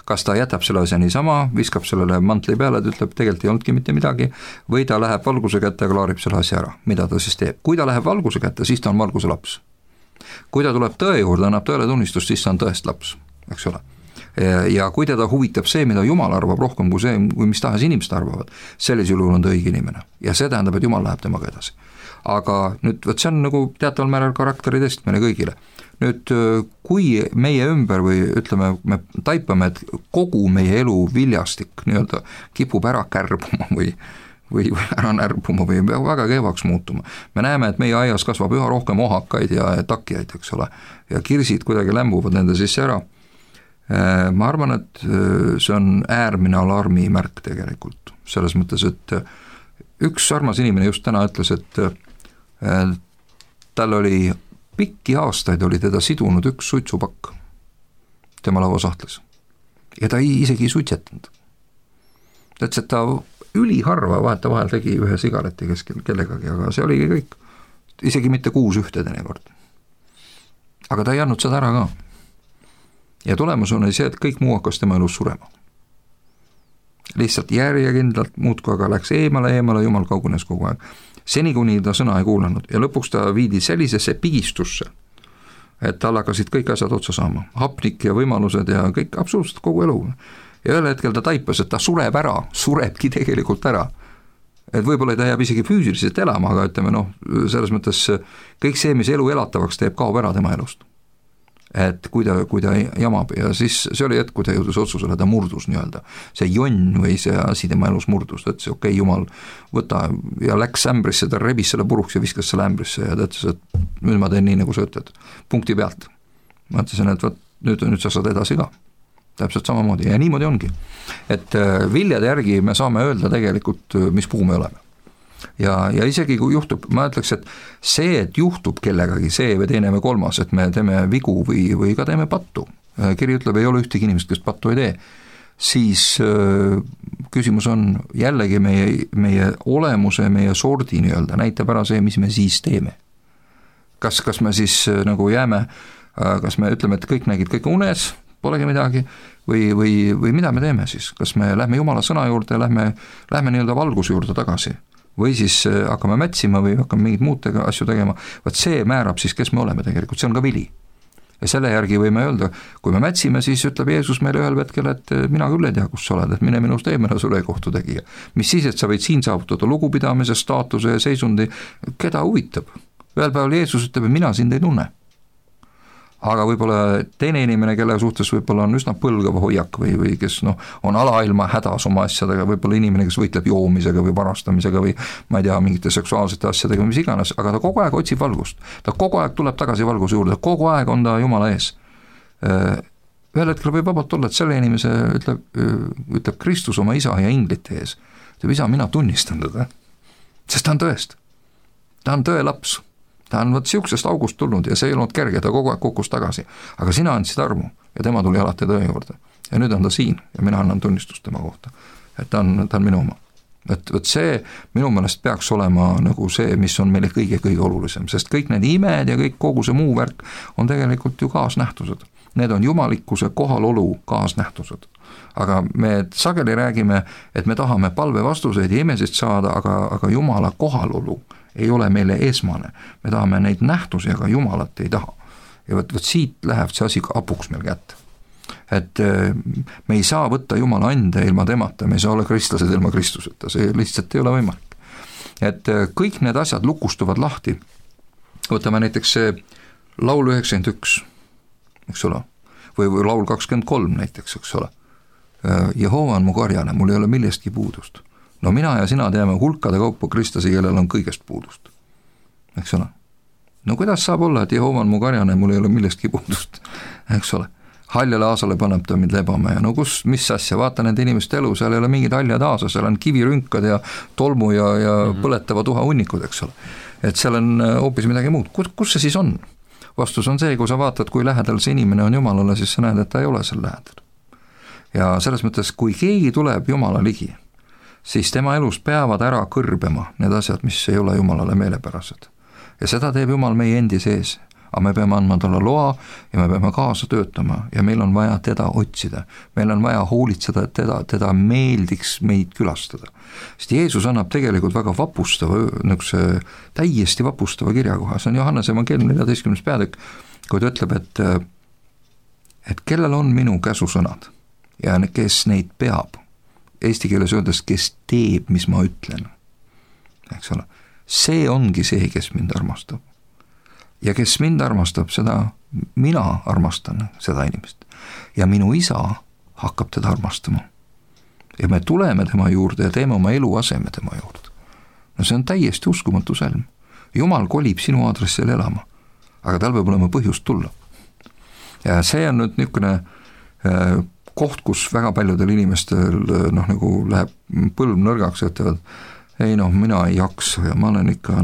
Kas ta jätab selle asja niisama, viskab sellele mantli peale, et ütleb, tegelikult ei olnudki mitte midagi, või ta läheb valguse kätte ja klaarib selle asja ära, mida ta siis teeb. Kui ta läheb valguse kätte, siis ta on valguse laps. Kui ta tuleb tõe juurde, annab tõele tunnistust, siis ta on tõest laps, eks ole. ja kui teda huvitab see, mida Jumal arvab rohkem kui see, kui mis tahes inimesed arvavad, sellisel juhul on ta õige inimene ja see tähendab, et Jumal läheb temaga edasi. Aga nüüd võt see on nagu teataval määral karakteri test meile kõigile. Nüüd kui meie ümber või ütleme, me taipame, et kogu meie elu viljastik nii-öelda kipub ära kärbuma või ära närbuma või väga kehvaks muutuma. Me näeme, et meie aias kasvab üha rohkem ohakaid ja takjaid, eks ole, ja kirsid kuidagi lämbuvad nende sisse ära. Ma arvan, et see on äärmine alarmimärk tegelikult, selles mõttes, et üks armas inimene just täna ütles, et tal oli pikki aastaid oli teda sidunud üks suitsupakk tema lauasahtlis ja ta isegi ei suitsetanud. Ta ütles, et ta üliharva vahetevahel tegi ühe sigareti keskel kellegagi, aga see oligi kõik, isegi mitte 6 ühte teinekord. Aga ta ei andnud seda ära ka. Ja tulemus on see, et kõik muu hakkas tema elus surema. Lihtsalt järjekindlalt muudku aga läks eemale, Jumal kaugunes kogu aeg. Seni kuni ta sõna ei kuulanud ja lõpuks ta viidi sellisesse pigistusse, et tal hakkasid kõik asjad otsa saama, hapnik ja võimalused ja kõik absoluutselt kogu elu. Ja ühel hetkel ta taipas, et ta surebki tegelikult ära. Et võib-olla ta jääb isegi füüsiliselt elama, aga ütleme selles mõttes kõik see, mis elu elatavaks teeb, kaob ära tema elust. Et kui ta jamab ja siis see oli hetk, kui ta jõudus otsusele, ta murdus nii-öelda. See jonn või see asi tema elus murdus, ta ütles, okei, Jumal, võta ja läks ämbrisse, ta rebis selle puruks ja viskas selle ämbrisse ja ta ütles, et nüüd ma teen nii, nagu sa ütled, punkti pealt. Ma ütlesin, et võt, nüüd sa saad edasi ka. Täpselt samamoodi ja niimoodi ongi. Et viljade järgi me saame öelda tegelikult, mis puu me oleme. Ja isegi kui juhtub, ma ütleks, et see, et juhtub kellegagi see või teine või kolmas, et me teeme vigu või ka teeme pattu, kiri ütleb, ei ole ühtegi inimest, kes pattu ei tee, siis küsimus on jällegi meie olemuse, meie sordi nii-öelda, näitab ära see, mis me siis teeme. Kas me siis nagu jääme, kas me ütleme, et kõik nägid kõik unes, polegi midagi, või mida me teeme siis, kas me lähme Jumala sõna juurde, lähme nii-öelda valguse juurde tagasi, või siis hakkame mätsima või hakkame mingid muud asju tegema, vaat see määrab siis, kes me oleme tegelikult, see on ka vili. Ja selle järgi võime öelda, kui me mätsime, siis ütleb Jeesus meile ühel hetkel, et mina küll ei tea, kus sa oled, et mine minust eemale sulle kohtu tegija. Mis siis, et sa võid siin saavutada lugupidamise, staatuse ja seisundi, keda huvitab? Ühel päeval Jeesus ütleb, et mina sind ei tunne. Aga võib-olla teine inimene, kelle suhtes võib-olla on üsna põlgav hoiak või kes on alailma hädas oma asjadega, võib-olla inimene, kes võitleb joomisega või varastamisega või ma ei tea, mingite seksuaalsete asjadega, mis iganes, aga ta kogu aeg otsib valgust. Ta kogu aeg tuleb tagasi valguse juurde, kogu aeg on ta Jumala ees. Ühel hetkel võib vabalt olla, et selle inimese ütleb Kristus oma isa ja inglite ees. Ütleb, isa, mina tunnistan teda, sest ta on tõest. Ta on tõe laps. Ta on siuksest august tulnud ja see ei olnud kerge, ta kogu aeg kukkus tagasi. Aga sina andsid armu ja tema tuli alati tõe juurde. Ja nüüd on ta siin ja mina annan tunnistust tema kohta. Et ta on minu oma. Et see minu meelest peaks olema nagu see, mis on meile kõige olulisem, sest kõik need imed ja kõik kogu see muu värk on tegelikult ju kaasnähtused. Need on jumalikkuse kohalolu kaasnähtused. Aga me sageli räägime, et me tahame palve vastuseid ja imesid saada, aga Jumala kohalolu ei ole meile esmane. Me tahame neid nähtusi, aga Jumalat ei taha. Ja võt siit läheb see asi apuks meil kätte. Et me ei saa võtta Jumala ande ilma temata, me ei saa olla kristlased ilma Kristuseta, see lihtsalt ei ole võimalik. Et kõik need asjad lukustuvad lahti. Võtame näiteks see laul 91, eks ole, või laul 23 näiteks, eks ole. Jehova on mu karjane, mul ei ole millestki puudust. No mina ja sina teame hulkade kaupa kristlasi, kellel on kõigest puudust. Eks ole? No kuidas saab olla, et Jehova on mu karjane, mul ei ole millestki puudust? Eks ole? Haljale aasale paneb ta mind lebama ja no mis asja, vaata nende inimeste elu, seal ei ole mingid haljad aasa, seal on kivirünkad ja tolmu ja põletava tuha hunnikud, eks ole. Et seal on hoopis midagi muud. Kus see siis on? Vastus on see, kui sa vaatad, kui lähedal see inimene on Jumalale, siis sa näed, et ta ei ole seal lähedal. Ja selles mõttes, kui keegi tuleb Jumala ligi, siis tema elus peavad ära kõrbema need asjad, mis ei ole Jumalale meelepärased. Ja seda teeb Jumal meie endi sees. Aga me peame andma talle loa ja me peame kaasa töötama ja meil on vaja teda otsida. Meil on vaja hoolitseda, et teda meeldiks meid külastada. Sest Jeesus annab tegelikult väga vapustava, täiesti vapustava kirjakoha. See on Johannese evangeeliumi 14. peatükk, kui ta ütleb, et kellel on minu käsusõnad ja kes neid peab, eesti keeles öeldes, kes teeb, mis ma ütlen, eks ole, see ongi see, kes mind armastab. Ja kes mind armastab, seda mina armastan, seda inimest. Ja minu isa hakkab teda armastama. Ja me tuleme tema juurde ja teeme oma elu aseme tema juurde. No see on täiesti uskumatu sõlm. Jumal kolib sinu aadressil elama, aga tal peab olema põhjust tulla. Ja see on nüüd niisugune koht, kus väga paljudel inimestel nagu läheb põlv nõrgaks ja ütlevad, ei mina ei jaksa ja ma olen ikka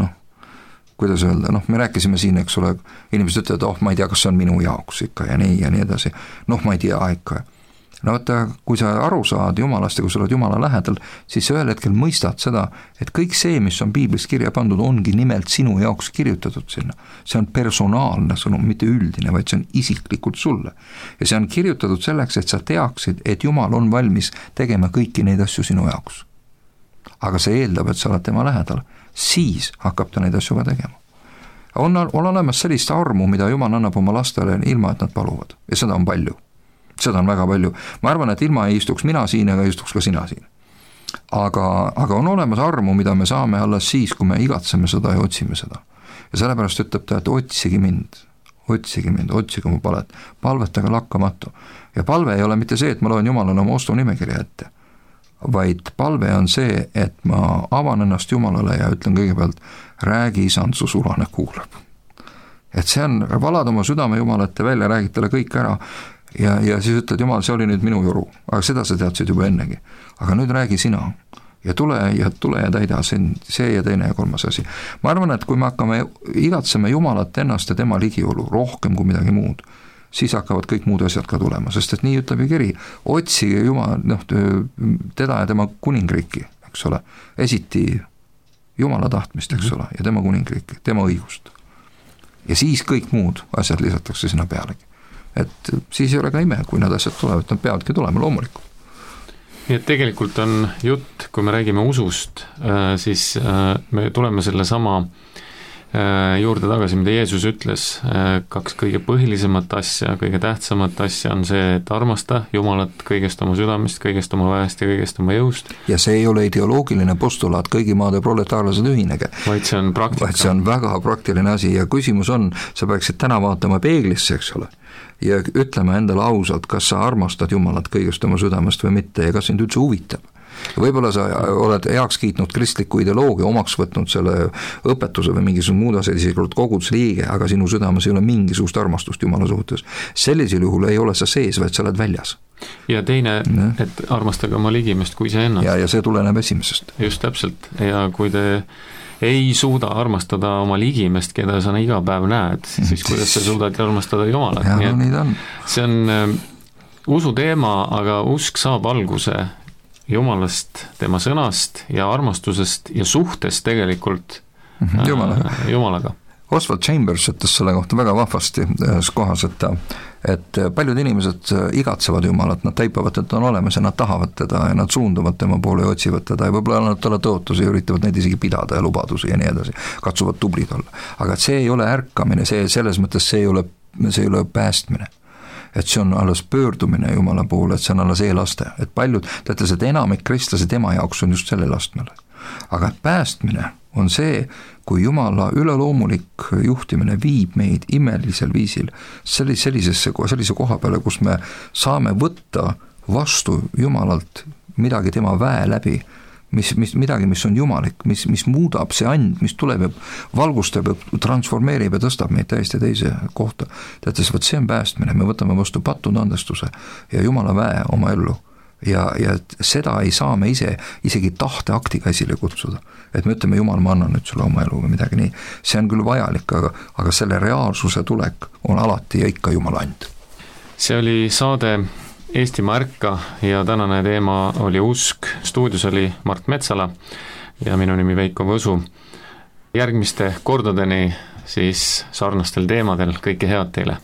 kuidas öelda, me rääkisime siin, eks ole, inimesed ütlevad, ma ei tea, kas see on minu jaoks ikka ja nii edasi, ma ei tea ikka. Vaata, kui sa aru saad Jumalast ja kui sa oled Jumala lähedal, siis sa ühel hetkel mõistad seda, et kõik see, mis on piiblis kirja pandud, ongi nimelt sinu jaoks kirjutatud sinna. See on personaalne sõnum, mitte üldine, vaid see on isiklikult sulle. Ja see on kirjutatud selleks, et sa teaksid, et Jumal on valmis tegema kõiki neid asju sinu jaoks. Aga see eeldab, et sa oled tema lähedal, siis hakkab ta neid asju ka tegema. On olemas sellist armu, mida Jumal annab oma lastele ilma, et nad paluvad. Ja seda on palju. Seda on väga palju. Ma arvan, et ilma ei istuks mina siin ega istuks ka sina siin. Aga on olemas armu, mida me saame alles siis, kui me igatseme seda ja otsime seda. Ja sellepärast ütleb ta, et otsige mind, otsige mu palet, palvetage lakkamatu. Ja palve ei ole mitte see, et ma loen Jumalale oma ostunimekirja ette, vaid palve on see, et ma avan ennast Jumalale ja ütlen kõigepealt, räägi isand, su sulane kuulab. Et see on, valad oma südame Jumalate välja, räägid talle kõik ära, ja siis ütled, Jumal, see oli nüüd minu joru, aga seda sa teadsid juba ennegi. Aga nüüd räägi sina ja tule ja täida see ja teine ja kolmas asi. Ma arvan, et kui me hakkame igatseme Jumalat ennast ja tema ligiolu rohkem kui midagi muud, siis hakkavad kõik muud asjad ka tulema, sest et nii ütleb ju kiri, otsige Jumal, teda ja tema kuningriiki, eks ole, esiti Jumala tahtmist, eks ole, ja tema kuningriiki, tema õigust. Ja siis kõik muud asjad lisatakse sinna pealegi. Et siis ei ole ka ime, kui nad asjad tulevad, nad peavadki tulema loomulikult. Nii et tegelikult on jutt, kui me räägime usust, siis me tuleme selle sama juurde tagasi, mida Jeesus ütles, kaks kõige põhilisemat asja, kõige tähtsamat asja on see, et armasta Jumalat kõigest oma südamest, kõigest oma väest ja kõigest oma jõust. Ja see ei ole ideoloogiline postulaat, kõigi maade proletaarlased ühinege. Vaid see on praktika. Vaid see on väga praktiline asi ja küsimus on, sa peaksid täna vaatama peeglisse, eks ole, ja ütleme endale ausalt, kas sa armastad Jumalat kõigest oma südamest või mitte ja kas sind üldse huvitab. Võib-olla sa oled heaks kiitnud kristliku ideoloogia, omaks võtnud selle õpetuse või mingisugune muud asjad, isegi koguduse liige, aga sinu südames ei ole mingisugust armastust Jumala suhtes. Sellisel juhul ei ole sa sees, vaid sa oled väljas. Ja teine, et armastage oma ligimest kui see ennast. Ja see tuleneb esimesest. Just täpselt. Ja kui te ei suuda armastada oma ligimest, keda sa iga päev näed, siis kuidas sa suudad armastada Jumalat. Ja, nii ta on. See on usu teema, aga usk saab alguse Jumalast, tema sõnast ja armastusest ja suhtest tegelikult Jumalaga. Oswald Chambers ütles selle kohta väga vahvasti kohas, et paljud inimesed igatsevad Jumalat, nad taipavad, et on olemas ja nad tahavad teda ja nad suunduvad tema poole ja otsivad teda ja võib-olla annavad talle tõotusi ja üritavad neid isegi pidada ja lubadusi ja nii edasi, katsuvad tublid olla. Aga see ei ole ärkamine, selles mõttes see ei ole päästmine. Et see on alles pöördumine Jumala poole, et see on alles eelaste. Et paljud, ta ütles, et enamik kristlase tema jaoks on just sellel astmele. Aga päästmine on see, kui Jumala üleloomulik juhtimine viib meid imelisel viisil sellise koha peale, kus me saame võtta vastu Jumalalt midagi tema väe läbi, midagi, mis on jumalik, mis muudab see and, mis tuleb ja valgustab ja transformeerib ja tõstab meid täiesti teise kohta. Teates, see on päästmine, me võtame vastu pattunud andestuse ja Jumala väe oma ellu ja seda ei saa me isegi tahteaktiga esile kutsuda. Et me ütleme, Jumal, ma annan nüüd sulle oma elu või midagi nii. See on küll vajalik, aga selle reaalsuse tulek on alati ja ikka Jumala and. See oli saade Eestimaa ärka ja tänane teema oli usk. Stuudios oli Mart Metsala ja minu nimi Veiko Võsu. Järgmiste kordadeni siis sarnastel teemadel kõike head teile!